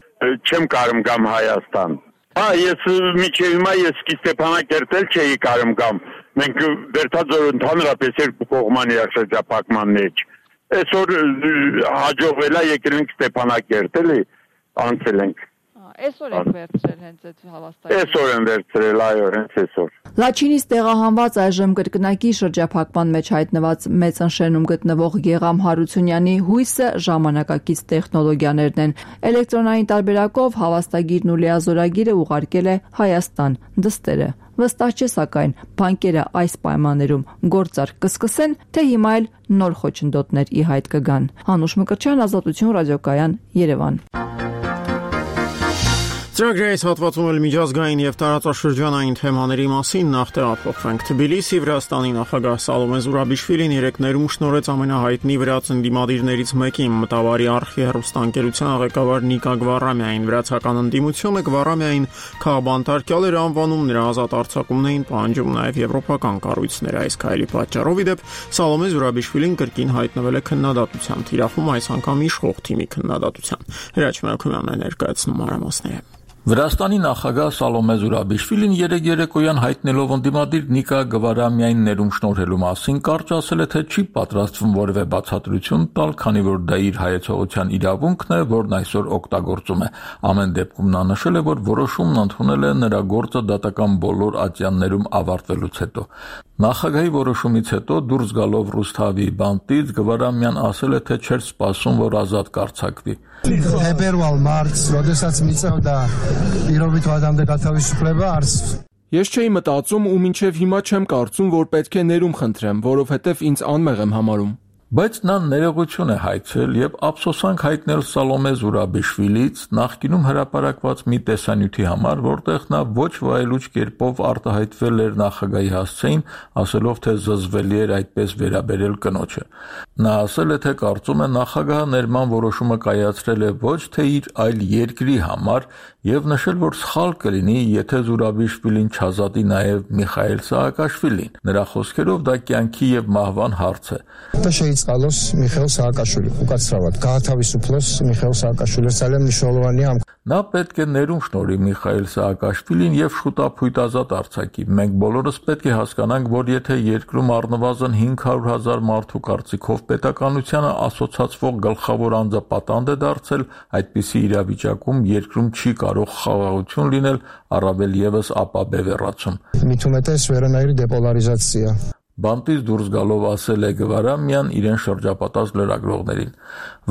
Չեմ կարող գամ Հայաստան։ Հա, ես միջև հիմա ես Ստեփանակերտ էլ չէի կարող գամ։ Մենք վերջածոր ընդհանրապես երկու կողմանի շրջափակման մեջ։ Այսօր հաջողվել է եկել ենք Ստեփանակերտ էլի, անցել ենք։ Այսօր եք վերցրել հենց այդ հավաստակը։ Այսօր են վերցրել, այո, հենց այսօր։ Լաչինից տեղահանված այժմ կրկնակի շրջափակման մեջ հայտնված Մեծանշենում գտնվող Գեգամ Հարությունյանի հույսը ժամանակակից տեխնոլոգիաներն են։ Էլեկտրոնային տարբերակով հավաստագիրն ու լիազորագիրը ուղարկել է Հայաստան դստերը։ Վստահ չէ սակայն բանկերը այս պայմաններում գործարք կսկսեն, թե հիմա էլ նոր խոչընդոտներ ի հայտ կգան։ Անուշ Մկրտչյան, Ազատություն ռադիոկայան, Երևան։ Ծրագրի այս հատվածում էլ միջազգային եւ տարածաշրջանային թեմաների մասին նախ տեղափոխվենք։ Թբիլիսի Վրաստանի նախագահ Սալոմե Զուրաբիշվիլին երեկ ներում շնորհեց ամենահայտնի վրաց ընդդիմադիրներից մեկին, Մտավարի արխի հեռուստաընկերության ղեկավար Նիկա Գվարամյային։ Վրացական ընդդիմությունը Գվարամյային քաղբանտարկյալ էր անվանում, նրա ազատ արձակումն էին պահանջում նաեւ եվրոպական կառույցները։ Այս քայլի պատճառով ի դեպ Սալոմե Զուրաբիշվիլին կրկին հայտնվել է քննադատության թիրախում, այս անգամ իշխող թիմի քննադատության։ Հրաչ Մելքումյանն է ներկայացնում մանրամասները։ Վրաստանի նախագահ Սալոմե Զուրաբիշվիլին երեկ երեկոյան հայտնելով ընդդիմադիր Նիկա Գվարամյանին ներում շնորհելու մասին կարճ ասել է, թե չի պատրաստվում որևէ բացատրություն տալ, քանի որ դա իր հայեցողության իրավունքն է, որն այսօր օգտագործում է։ Ամեն դեպքում նա նշել է, որ որոշումն ընդունել է նրա գործը դատական բոլոր ատյաններում ավարտվելուց հետո։ Նախագահի որոշումից հետո դուրս գալով Ռուսթավի բանտից Գվարամյան ասել է, թե չէր սպասում, որ ազատ կարձակվի։ Փետրվար, մարտ, որտեսած միցավ դա իրովիտ վադամ դեկատավի շփլեվա արս Ես չէի մտածում ու մինչև հիմա չեմ կարծում, որ պետք է ներում խնդրեմ, որովհետև ինձ անմեղ եմ համարում։ Բայց նա ներողություն է հայցել եւ ափսոսանք հայտնել Սալոմե Զուրաբիշվիլից նախկինում հրապարակված մի տեսանյութի համար, որտեղ նա ոչ վայելուչ կերպով արտահայտվել էր նախագահի հասցեին, ասելով, թե զզվելի էր այդպես վերաբերել կնոջը։ Նա ասել է, թե կարծում է նախագահը ներման որոշումը կայացրել է ոչ թե իր, այլ երկրի համար եւ նշել, որ սխալ կլինի, եթե Զուրաբիշվիլին չազատի նաեւ Միխայել Սաակաշվիլին։ Նրա խոսքերով դա կյանքի եւ մահվան հարց է։ Կալոս Միխայել Սաակաշվիլի ուկացրավատ Գահաթավիսուփլոս Միխայել Սաակաշվիլի Սալեմ Նիշոլովանի ամ Նա պետք է ներում շնորհի Միխայել Սաակաշվիլին եւ շուտապույտ ազատ արձակի։ Մենք բոլորս պետք է հասկանանք, որ եթե երկրում առնվազն հինգ հարյուր հազար մարդու կարծիքով պետականությանը ասոցացվող գլխավոր անձը պատանդ է դարձել, այդպիսի իրավիճակում երկրում չի կարող խաղաղություն լինել, առավել եւս ապա բևեռացում։ Միտումետես վերանայրի դեպոլարիզացիա Բանտից դուրս գալով ասել է Գվարամյան իրեն շրջապատած լրագրողներին։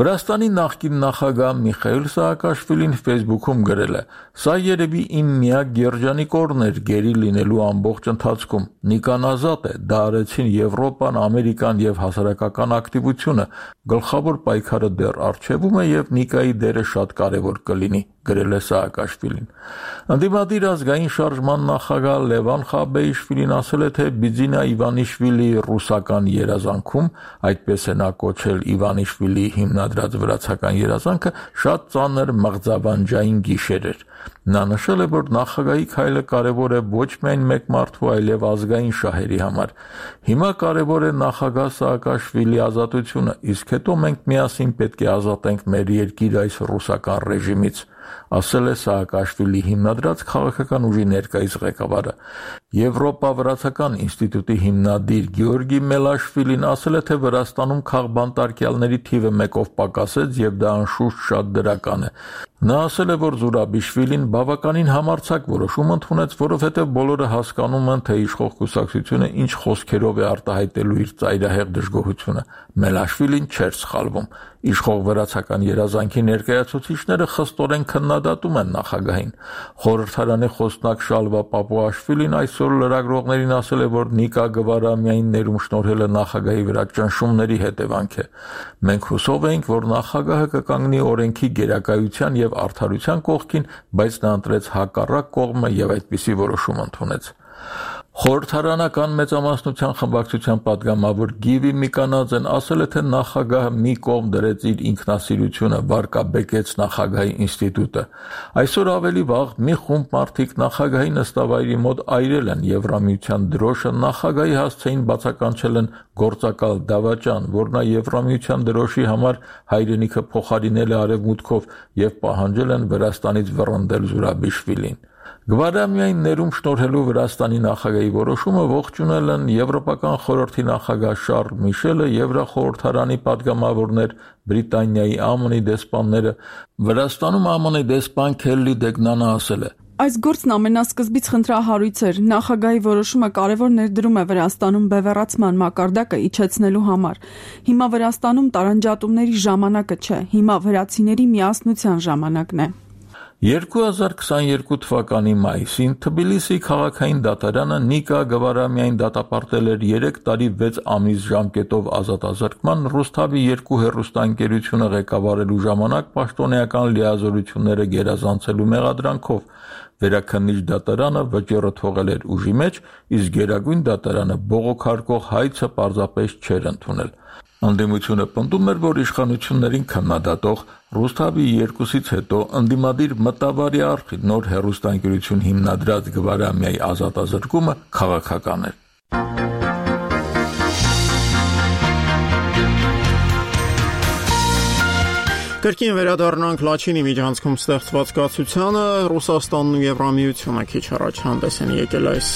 Վրաստանի նախկին նախագահ Միխայել Սաակաշվիլին Facebook-ում գրել է. «Սա երևի իմ միակ երջանիկորն էր գերի լինելու ամբողջ ընթացքում։ Նիկան ազատ է, դա արեցին Եվրոպան, Ամերիկան եւ հասարակական ակտիվությունը։ Գլխավոր պայքարը դեռ առջևում է եւ Նիկայի դերը շատ կարեւոր կլինի», գրել է Սաակաշվիլին։ Ընդդիմադիր ազգային շարժման նախագահ Լևան Խաբեիշվիլին ասել է, թե Բիձինա Իվանիշվիլի ռուսական երազանքում, այդպես է նա կոչել Իվանիշվիլի հիմնադրած վրացական երազանքը, շատ ծանր մղձավանջային գիշեր էր։ Նա նշել է, որ նախագահի քայլը կարևոր է ոչ միայն մեկ մարդու, այլև ազգային շահերի համար։ Հիմա կարևոր է նախագահ Սաակաշվիլի ազատությունը, իսկ հետո մենք միասին պետք է ազատենք մեր երկիրը այս ռուսական ռեժիմից, ասել է Սաակաշվիլի հիմնադրած քաղաքական ուժի ներկայիս ղեկավարը։ Եվրոպա-վրացական ինստիտուտի հիմնադիր Գեորգի Մելաշվիլին ասել է, թե Վրաստանում քաղբանտարկյալների թիվը մեկով պակասեց եւ դա անշուշտ շատ դրական է։ Նա ասել է, որ Զուրաբիշվիլին բավականին համարձակ որոշում ընդունեց, որովհետև բոլորը հասկանում են, թե իշխող կուսակցությունը ինչ խոսքերով է արտահայտելու իր ծայրահեղ դժգոհությունը։ Մելաշվիլին չէր սխալվում։ Իշխող վրացական երազանքի ներկայացուցիչները խստորեն քննադատում են նախագահին։ Խորհրդարանի խոսնակ Շալվա Պապուաշվիլին այսօր լրագրողներին ասել է, որ Նիկա Գվարամյանին ներում շնորհելը նախագահի վրա ճնշումների հետևանք է։ Մենք հուսով ենք, որ նախագահը կկանգնի օրենքի գերակայության եւ արդարության կողքին, բայց նա ընտրեց հակառակ կողմը եւ այդպիսի որոշում ընդունեց։ Խորհրդարանական մեծամասնության խմբակցության падգամավոր Գիվի Միկանաձեն ասել է, թե նախագահը մի կողմ դրեց իր ինքնասիրությունը, վարկաբեկեց նախագահի ինստիտուտը։ Այսօր ավելի վաղ մի խումբ մարդիկ նախագահի նստավայրի մոտ այրել են Եվրամիության դրոշը, նախագահի հասցեին բացականչել են գործակալ դավաճան, որ նա Եվրամիության դրոշի համար հայրենիքը փոխարինել է արևմուտքով եւ պահանջել են Վրաստանից վռնդել Զուրաբիշվիլին։ Գվարամիային ներում շնորհելու Վրաստանի նախագահի որոշումը ողջունել են Եվրոպական խորհրդի նախագահ Շարլ Միշելը, Եվրախորհրդարանի падգամավորներ, Բրիտանիայի Է Մը Նի դեսպանները։ Վրաստանում Է Մը Նի դեսպան Քելլի Դեգնանը ասել է. Այս գործն ամենասկզբից խնդրահարույց էր։ Նախագահի որոշումը կարևոր ներդրում է Վրաստանում բևեռացման մակարդակը իջեցնելու համար։ Հիմա Վրաստանում տարանջատումների ժամանակը չէ, հիմա վրացիների միասնության ժամանակն է։ երկու հազար քսաներկու թվականի մայիսին Թբիլիսի քաղաքային դատարանը Նիկա Գվարամիային դատապարտել էր երեք տարի վեց ամիս ժամկետով ազատազրկման Ռուսթավի երկու հեռուստաընկերությունը ղեկավարելու ժամանակ պաշտոնեական լիազորությունները գերազանցելու մեղադրանքով։ Վերաքննիչ դատարանը վճիռը թողել էր ուժի մեջ, իսկ գերագույն դատարանը բողոքարկող հայցը պարզապես չէր ընդունել։ Անդիմությունը պնդում էր, որ իշխանություններին քննադատող Ռուսթավի երկուսից հետո ընդդիմադիր մտավարի արխիվ նոր հեռուստաընկերություն հիմնադրած Գվարամիայի ազատազրկումը քաղաքական էր։ Կրկին վերադառնանք Լաչինի միջանցքում ստեղծված կացությանը, Ռուսաստանն ու Եվրամիությունը քիչ առաջ հանդես են եկել այս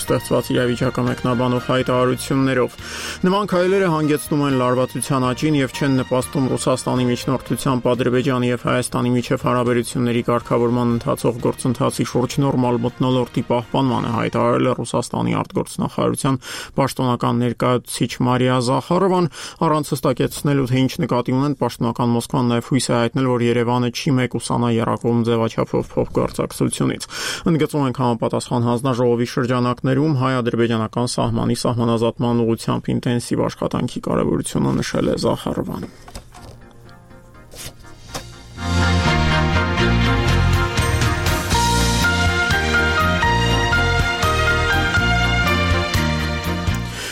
ստեղծված իրավիճակը մեկնաբանող հայտարարություններով։ Նման քայլերը հանգեցնում են լարվածության աճին եւ չեն նպաստում Ռուսաստանի միջնորդությամբ Ադրբեջանի եւ Հայաստանի միջև հարաբերությունների կարգավորման ընթացող գործընթացի շուրջ նորմալ մթնոլորտի պահպանմանը, հայտարարել է Ռուսաստանի արտգործնախարարության պաշտոնական ներկայացուցիչ Մարիա Զախարովան, առանց հստակեցնելու, թե ինչ նկատի ունեն պաշտոնական Մոսկվան նաեւ հույս է հայտնել, որ Երևանը չի մեկուսանա եռակողմ ձևաչափով փոխգործակցությունից։ Ընդգծում ենք համապատասխան հանձնաժողովի շրջանակներում հայ-ադրբեջանական սահմանի սահմանազատման ուղղությամբ ինտենսիվ աշխատանքի կարևորությունը նշել է Զախարովան։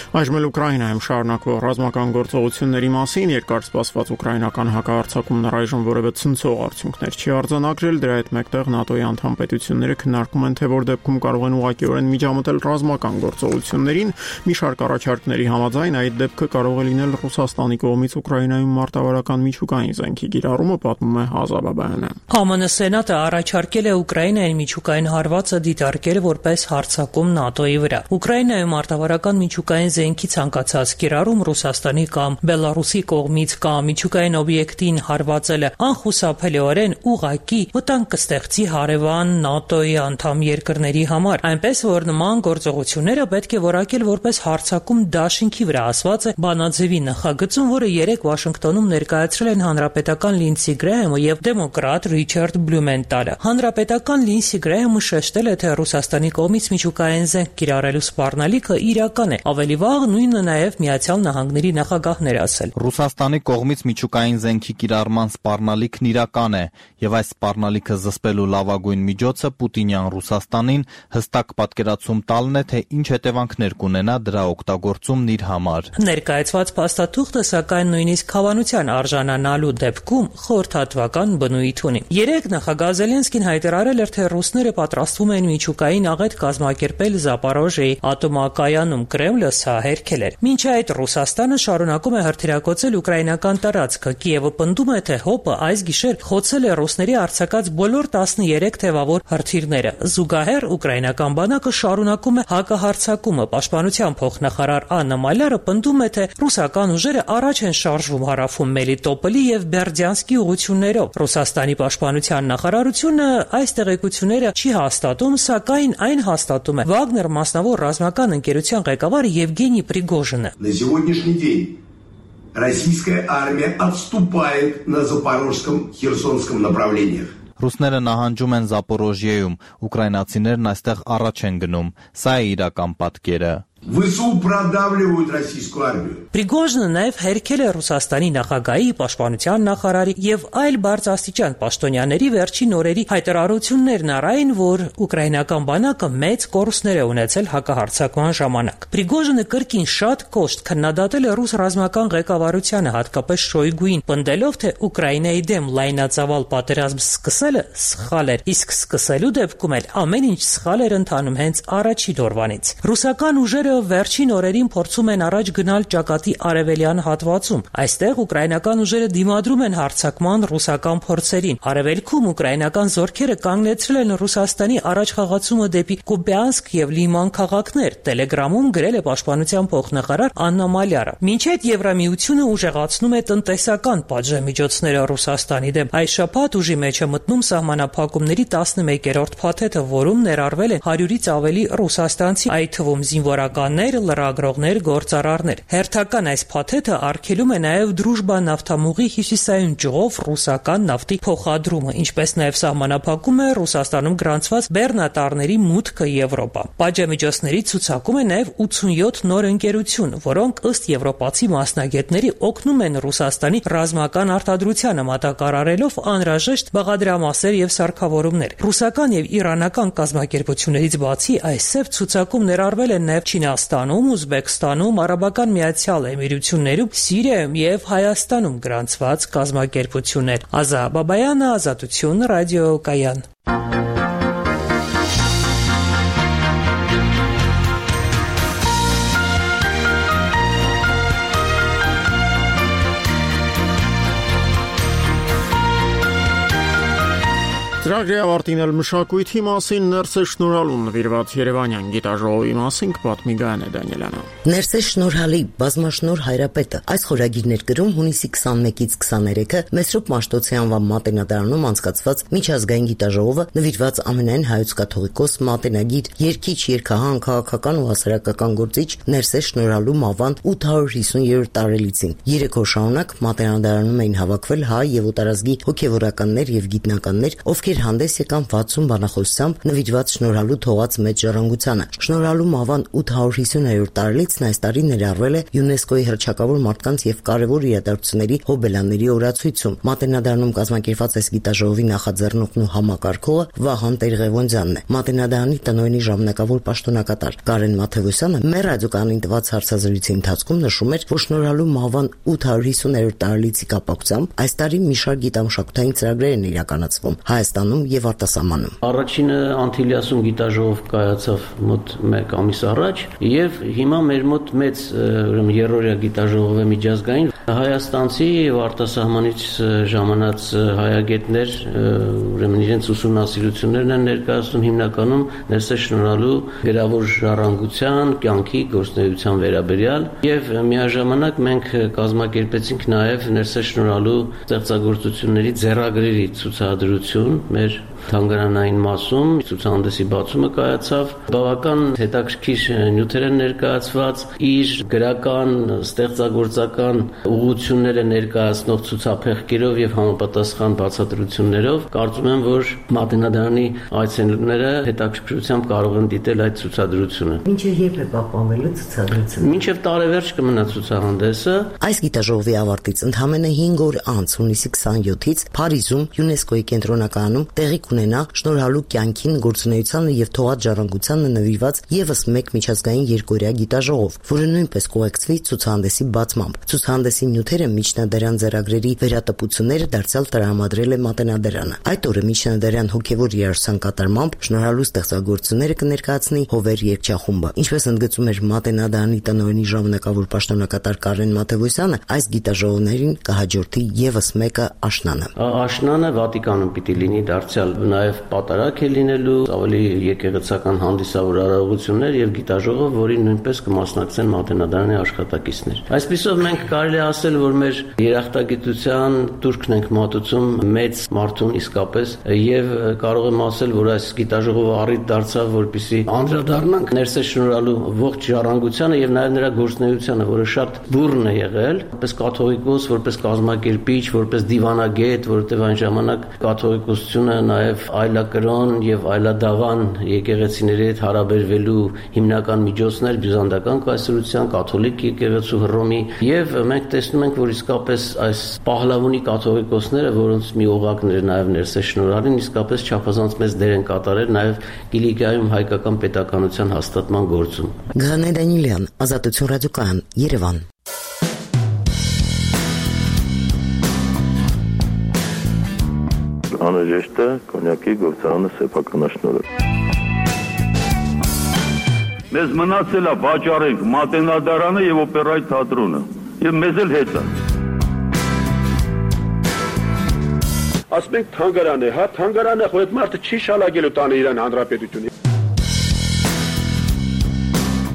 Այժմ Ուկրաինայում շարունակվող ռազմական գործողությունների մասին երկար սպասված ուկրաինական հակահարձակումն առայժմ որևէ ցնցող արդյունքներ չի արձանագրել, դրա հետ մեկտեղ ՆԱՏՕ-ի անդամ պետությունները քննարկում են, թե որ դեպքում կարող են ուղղակիորեն միջամտել ռազմական գործողություններին, մի շարք առաջարկների համաձայն այդ դեպքը կարող է լինել Ռուսաստանի կողմից Ուկրաինայում մարտավարական միջուկային զենքի կիրառումը, պատմում է Հազա Բաբայանը։ Է Մը Ն Սենատը առաջարկել է Ուկրաինային միջուկային հարվածը դիտարկել որպես հարձակում ՆԱՏՕ-ի վրա։ Ուկրաինայում մարտավարական միջուկային զենքի ցանկացած կիրառում Ռուսաստանի կամ Բելարուսի կողմից կամ միջուկային օբյեկտին հարվածելը անխուսափելիորեն ուղղակի վտանգ կստեղծի հարևան ՆԱՏՕ-ի անդամ երկրների համար, այնպես որ նման գործողությունները պետք է որակել որպես հարձակում դաշինքի վրա, ասված է բանաձևի նախագծում, որը երեկ Վաշինգտոնում ներկայացրել են հանրապետական Լինսի Գրեհամը եւ դեմոկրատ Ռիչարդ Բլումենտալը։ Հանրապետական Լինսի Գրեհամը շեշտել է, թե Ռուսաստանի կողմից միջուկային զենք կիրառելու սպառնալիքը իրական է, ավելի վաղ նույնը նաև Միացյալ Նահանգների նախագահն էր ասել։ Ռուսաստանի կողմից միջուկային զենքի կիրառման սպառնալիքն իրական է, եւ այս սպառնալիքը զսպելու լավագույն միջոցը Պուտինյան Ռուսաստանին հստակ պատկերացում տալն է, թե ինչ հետևանքներ կունենա դրա օգտագործումն իր համար։ Ներկայացված փաստաթուղթը սակայն նույնիսկ հավանության արժանանալու դեպքում խորհրդատվական բնույթ ունի։ Երեք նախագահ Զելենսկին հայտարարել էր, թե ռուսները պատրաստվում են միջուկային աղետ կազմակերպել Զապորոժիեի ատոմակայանում, Կրեմլը սա հերքել էր։ Մինչ այդ Ռուսաստանը շարունակում է հրթիռակոծել ուկրաինական տարածքը։ Կիևը պնդում է, թե ՀՕՊ-ը այս գիշեր խոցել է ռուսների արձակած բոլոր տասներեք թևավոր հրթիռները։ Զուգահեռ ուկրաինական բանակը շարունակում է հակահարձակումը։ Պաշտպանության փոխնախարար Աննա Մալյարը պնդում է, թե ռուսական ուժերը առաջ են շարժվում հարավում Մելիտոպոլի եւ Բերդյանսկի ուղղություններով։ Ռուսաստանի պաշտպանության նախարարությունը այս տեղեկությունները չի հաստատում, սակայն այն հաստատում է Վագներ մասնավոր ռազմական ընկերության ղեկավար Евгений Пригожина. На сегодняшний день российская армия отступает на Запорожском, Херсонском направлениях. Ռուսները նահանջում են Զապորոժիեում, ուկրաինացիներն այստեղ առաջ են գնում։ Սա է իրական պատկերը։ ВСУ продавливают российскую армию. Пригожինը նաև հերքել է Ռուսաստանի նախագահի, պաշտպանության նախարարի եւ այլ բարձրաստիճան պաշտոնյաների վերջին օրերի հայտարարություններն առայն, որ ուկրաինական բանակը մեծ կորուստներ է ունեցել հակահարձակման ժամանակ։ Prigozhine կրկին շատ կոշտ քննադատել է ռուս ռազմական ղեկավարությանը, հատկապես Շոյգուին, պնդելով, թե Ուկրաինայի դեմ լայնածավալ պատերազմ սկսելը սխալ էր, իսկ սկսելու դեպքում էլ ամեն ինչ սխալ էր ընթանում հենց առաջին օրվանից։ Ռուսական ուժերը վերջին օրերին փորձում են առաջ գնալ ճակատի արևելյան հատվածում։ Այստեղ ուկրաինական ուժերը դիմադրում են հարձակման ռուսական փորձերին։ Արևելքում ուկրաինական զորքերը կանգնեցրել են Ռուսաստանի առաջխաղացումը դեպի Կուպյանսկ եւ Լիման քաղաքներ։ Տելեգրամում գրել է պաշտպանության փոխնախարար Աննա Մալյարը։ Մինչև Եվրամիությունը ուժեղացնում է տնտեսական պատժամիջոցները Ռուսաստանի դեմ, այս շաբաթ ուժի մեջ է մտնում սահմանափակումների տասնմեկերորդ փաթեթը, որում ներառվել են հարյուրից ավելի ռուսաստանցի, այդ թվում զինվորականներ, լրագրողներ, գործարարներ։ Հերթական այս փաթեթը արգելում է նաև Դրուժբա նավթամուղի հյուսիսային ճյուղով ռուսական նավթի փոխադրումը, ինչպես նաև սահմանափակում է Ռուսաստանում գրանցված բեռնատարների մուտքը Եվրոպա։ Պատժամիջոցների ցուցակում է նաև ութսունյոթ նոր ընկերություն, որոնք ըստ եվրոպացի մասնագետների օգնում են Ռուսաստանի ռազմական արտադրությանը, մատակարարելով անհրաժեշտ բաղադրամասեր եւ սարքավորումներ։ Ռուսական եւ իրանական կազմակերպություններից բացի այս սև ցուցակում ներառվել են նաև Չինաստանում, Ուզբեկստանում, Արաբական Միացյալ Էմիրություններում, Սիրիայում եւ Հայաստանում գրանցված կազմակերպություններ։ Ազա Բաբայանը, Ազատություն, ռադիոկայան։ Ծրագրի ավարտին էլ մշակույթի մասին ներսե շնորհալուն նվիրված Երևանյան գիտաժողովի մասին կպատմի Գայանե Դանիելյանը։ Ներսե շնորհալի բազմաշնորհ հայրապետը այս խորագիր ներկրում հունիսի քսաներկից քսաներեքը Մեսրոպ Մաշտոցի անվան մատենադարանում անցկացված միջազգային գիտաժողովը նվիրված ամենայն հայոց կաթողիկոս մատենագիր, երգիչ, երգահան, քաղաքական ու հասարակական գործիչ Ներսե շնորհալու մահվան ութ հարյուր հիսուներորդ տարելիցին։ Երեք օր շարունակ մատենադարանում էին հավաքվել հայ եւ օտարազգի հոգեվորականներ եւ գիտնականներ, ովքեր հանդես եկան վաթսուն բանախոսությամբ նվիրված շնորհալու թողած մեծ ժառանգությանը։ Շնորհալու մահվան ութ հարյուր հիսուներորդ տարելիցն այս տարի ներառվել է ՅՈՒՆԵՍԿՕ-ի հռչակավոր մարդկանց եւ կարեւոր իրադարձությունների հոբելյանների օրացույցում։ Մատենադարանում կազմակերպված այս գիտաժողովի նախաձեռնողն ու համակարգողը Վահան Տեր-Ղևոնդյանն է։ Մատենադարանի տնօրենի ժամանակավոր պաշտոնակատար Կարեն Մաթևոսյանը մեր ռադիոկայանին տված հարցազրույցի ընթացքում նշում էր, որ շնորհալու մահվան ութ հարյուր հիսուներորդ տարելիցի կապակցությամբ այս տարի մի շարք գիտամշակութային ծրագրեր են իրականացվում Հայաստանում եւ արտասահմանում։ Առաջինը Անտիլիասում գիտաժողով կայացավ մոտ մեկ ամիս առաջ եւ հիմա մեր մոտ մեծ ուրեմն երրորդյա գիտաժողով է միջազգային հայաստանցի եւ արտասահմանից ժամանած հայագետներ ուրեմն իրենց ուսումնասիրություններն են ներկայացնում հիմնականում Ներսե շնորհալու գրավոր ժառանգության, կյանքի, գործունեության վերաբերյալ եւ միաժամանակ մենք կազմակերպեցինք նաեւ Ներսե շնորհալու ստեղծագործությունների ձեռագրերի ցուցադրություն մեր թանգարանային մասում ցուցահանդեսի բացումը կայացավ բավական հետաքրքիր նյութեր են ներկայացված իր գրական ստեղծագործական ուղղությունները ներկայացնող ցուցափեղկերով եւ համապատասխան բացատրություններով կարծում եմ որ մատենադարանի այցելուները հետաքրքրությամբ կարող են դիտել այդ ցուցադրությունը Մինչև երբ է պահպանվելու ցուցադրությունը Մինչև տարեվերջ կմնա ցուցահանդեսը Այս գիտաժողովի ավարտից ընդամենը հինգ օր անց հունիսի քսաներկից Փարիզում ՅՈՒՆԵՍԿՕ-ի կենտրոնականում տեղի կունենա շնորհալու կյանքին, գործունեությանը եւ թողած ժառանգությանը նվիրված եւս մեկ միջազգային երկօրյա գիտաժողով, որը նույնպես կուղեկցվի ցուցահանդեսի բացմամբ։ Ցուցահանդեսի նյութերը միջնադարյան ձեռագրերի վերատպությունները դարձյալ տրամադրել է Մատենադարանը։ Այդ օրը միջնադարյան հոգեվոր երաժշտության կատարմամբ շնորհալու ստեղծագործությունները կներկայացնի Հովեր երգչախումբը։ Ինչպես ընդգծում էր Մատենադարանի տնօրենի ժամանակավոր պաշտոնակատար Կարեն Մաթևոսյանը, այս գիտաժողովներին կհաջորդի եւս մեկը աշնանը։ Աշնանը Վատիկանում պիտի լինի դարձյալ նաև պատարակ է լինելու, ավելի եկեղեցական հանդիսավոր արարողություններ եւ գիտաժողով, որին նույնպես կմասնակցեն Մատենադարանի աշխատակիցներ։ Այսպիսով մենք կարելի է ասել, որ մեր երախտագիտության турքն ենք մատուցում մեծ մարդուն իսկապես եւ կարող եմ ասել, որ այս գիտաժողովը առիթ դարձավ, որպեսզի անդրադառնանք Ներսե շնորհալու ողջ ժառանգությանը եւ նաև նրա գործունեությանը, որը շատ բուռն է եղել, որպես կաթողիկոս, որպես կազմակերպիչ, որպես դիվանագետ, որովհետեւ այն ժամանակ կաթողիկոսությունը նաև այլակրոն եւ այլադավան եկեղեցիների հետ հարաբերվելու հիմնական միջոցներ բյուզանդական կայսրության, կաթոլիկ եկեղեցու Հռոմի եւ մենք տեսնում ենք, որ իսկապես այս պահլավունի կաթողիկոսները, որոնց մի օղակներ նաև Ներսե շնորհալին իսկապես չափազանց մեծ դեր են կատարել նաև Կիլիկիայում հայկական պետականության հաստատման գործում։ Գայանե Դանիելյան, Ազատություն ռադիոկայան, Երևան։ Անհրաժեշտ է կոնյակի գործարանը սեփականաշնորհը։ Մեզ մնացել է վաճառենք Մատենադարանը եւ օպերայի թատրոնը։ Եվ մեզ էլ հետ է։ Ասում ենք թանգարան է, հա, թանգարանը խո այդ մարդը չի շալագելու տանը իրան հանրապետությունը։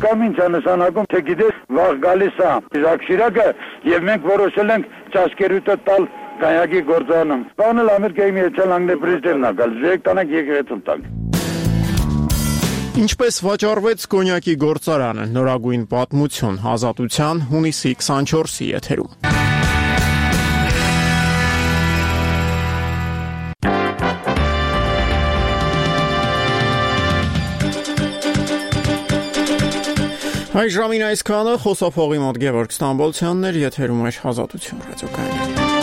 Կամ ինչ է նշանակում, թե գիտես, վաղ գալիս է Ժակ Շիրակը եւ մենք որոշել ենք ճաշկերուտը տալ կայակի գործանում։ Բանը Ամերիկայի Միացյալ Նահանգների պրեզիդենտն է գալ, ժեք տանք եկեղեցում տանք։ Ինչպես վաճառվեց կոնյակի գործարանը, նորագույն պատմություն, Ազատության հունիսի քսանչորսի եթերում։ Այժմին այսքանը խոսափողի մոտ Գևորգ Ստամբոլցյանն էր, եթերում էր Ազատություն ռադիոկայանը։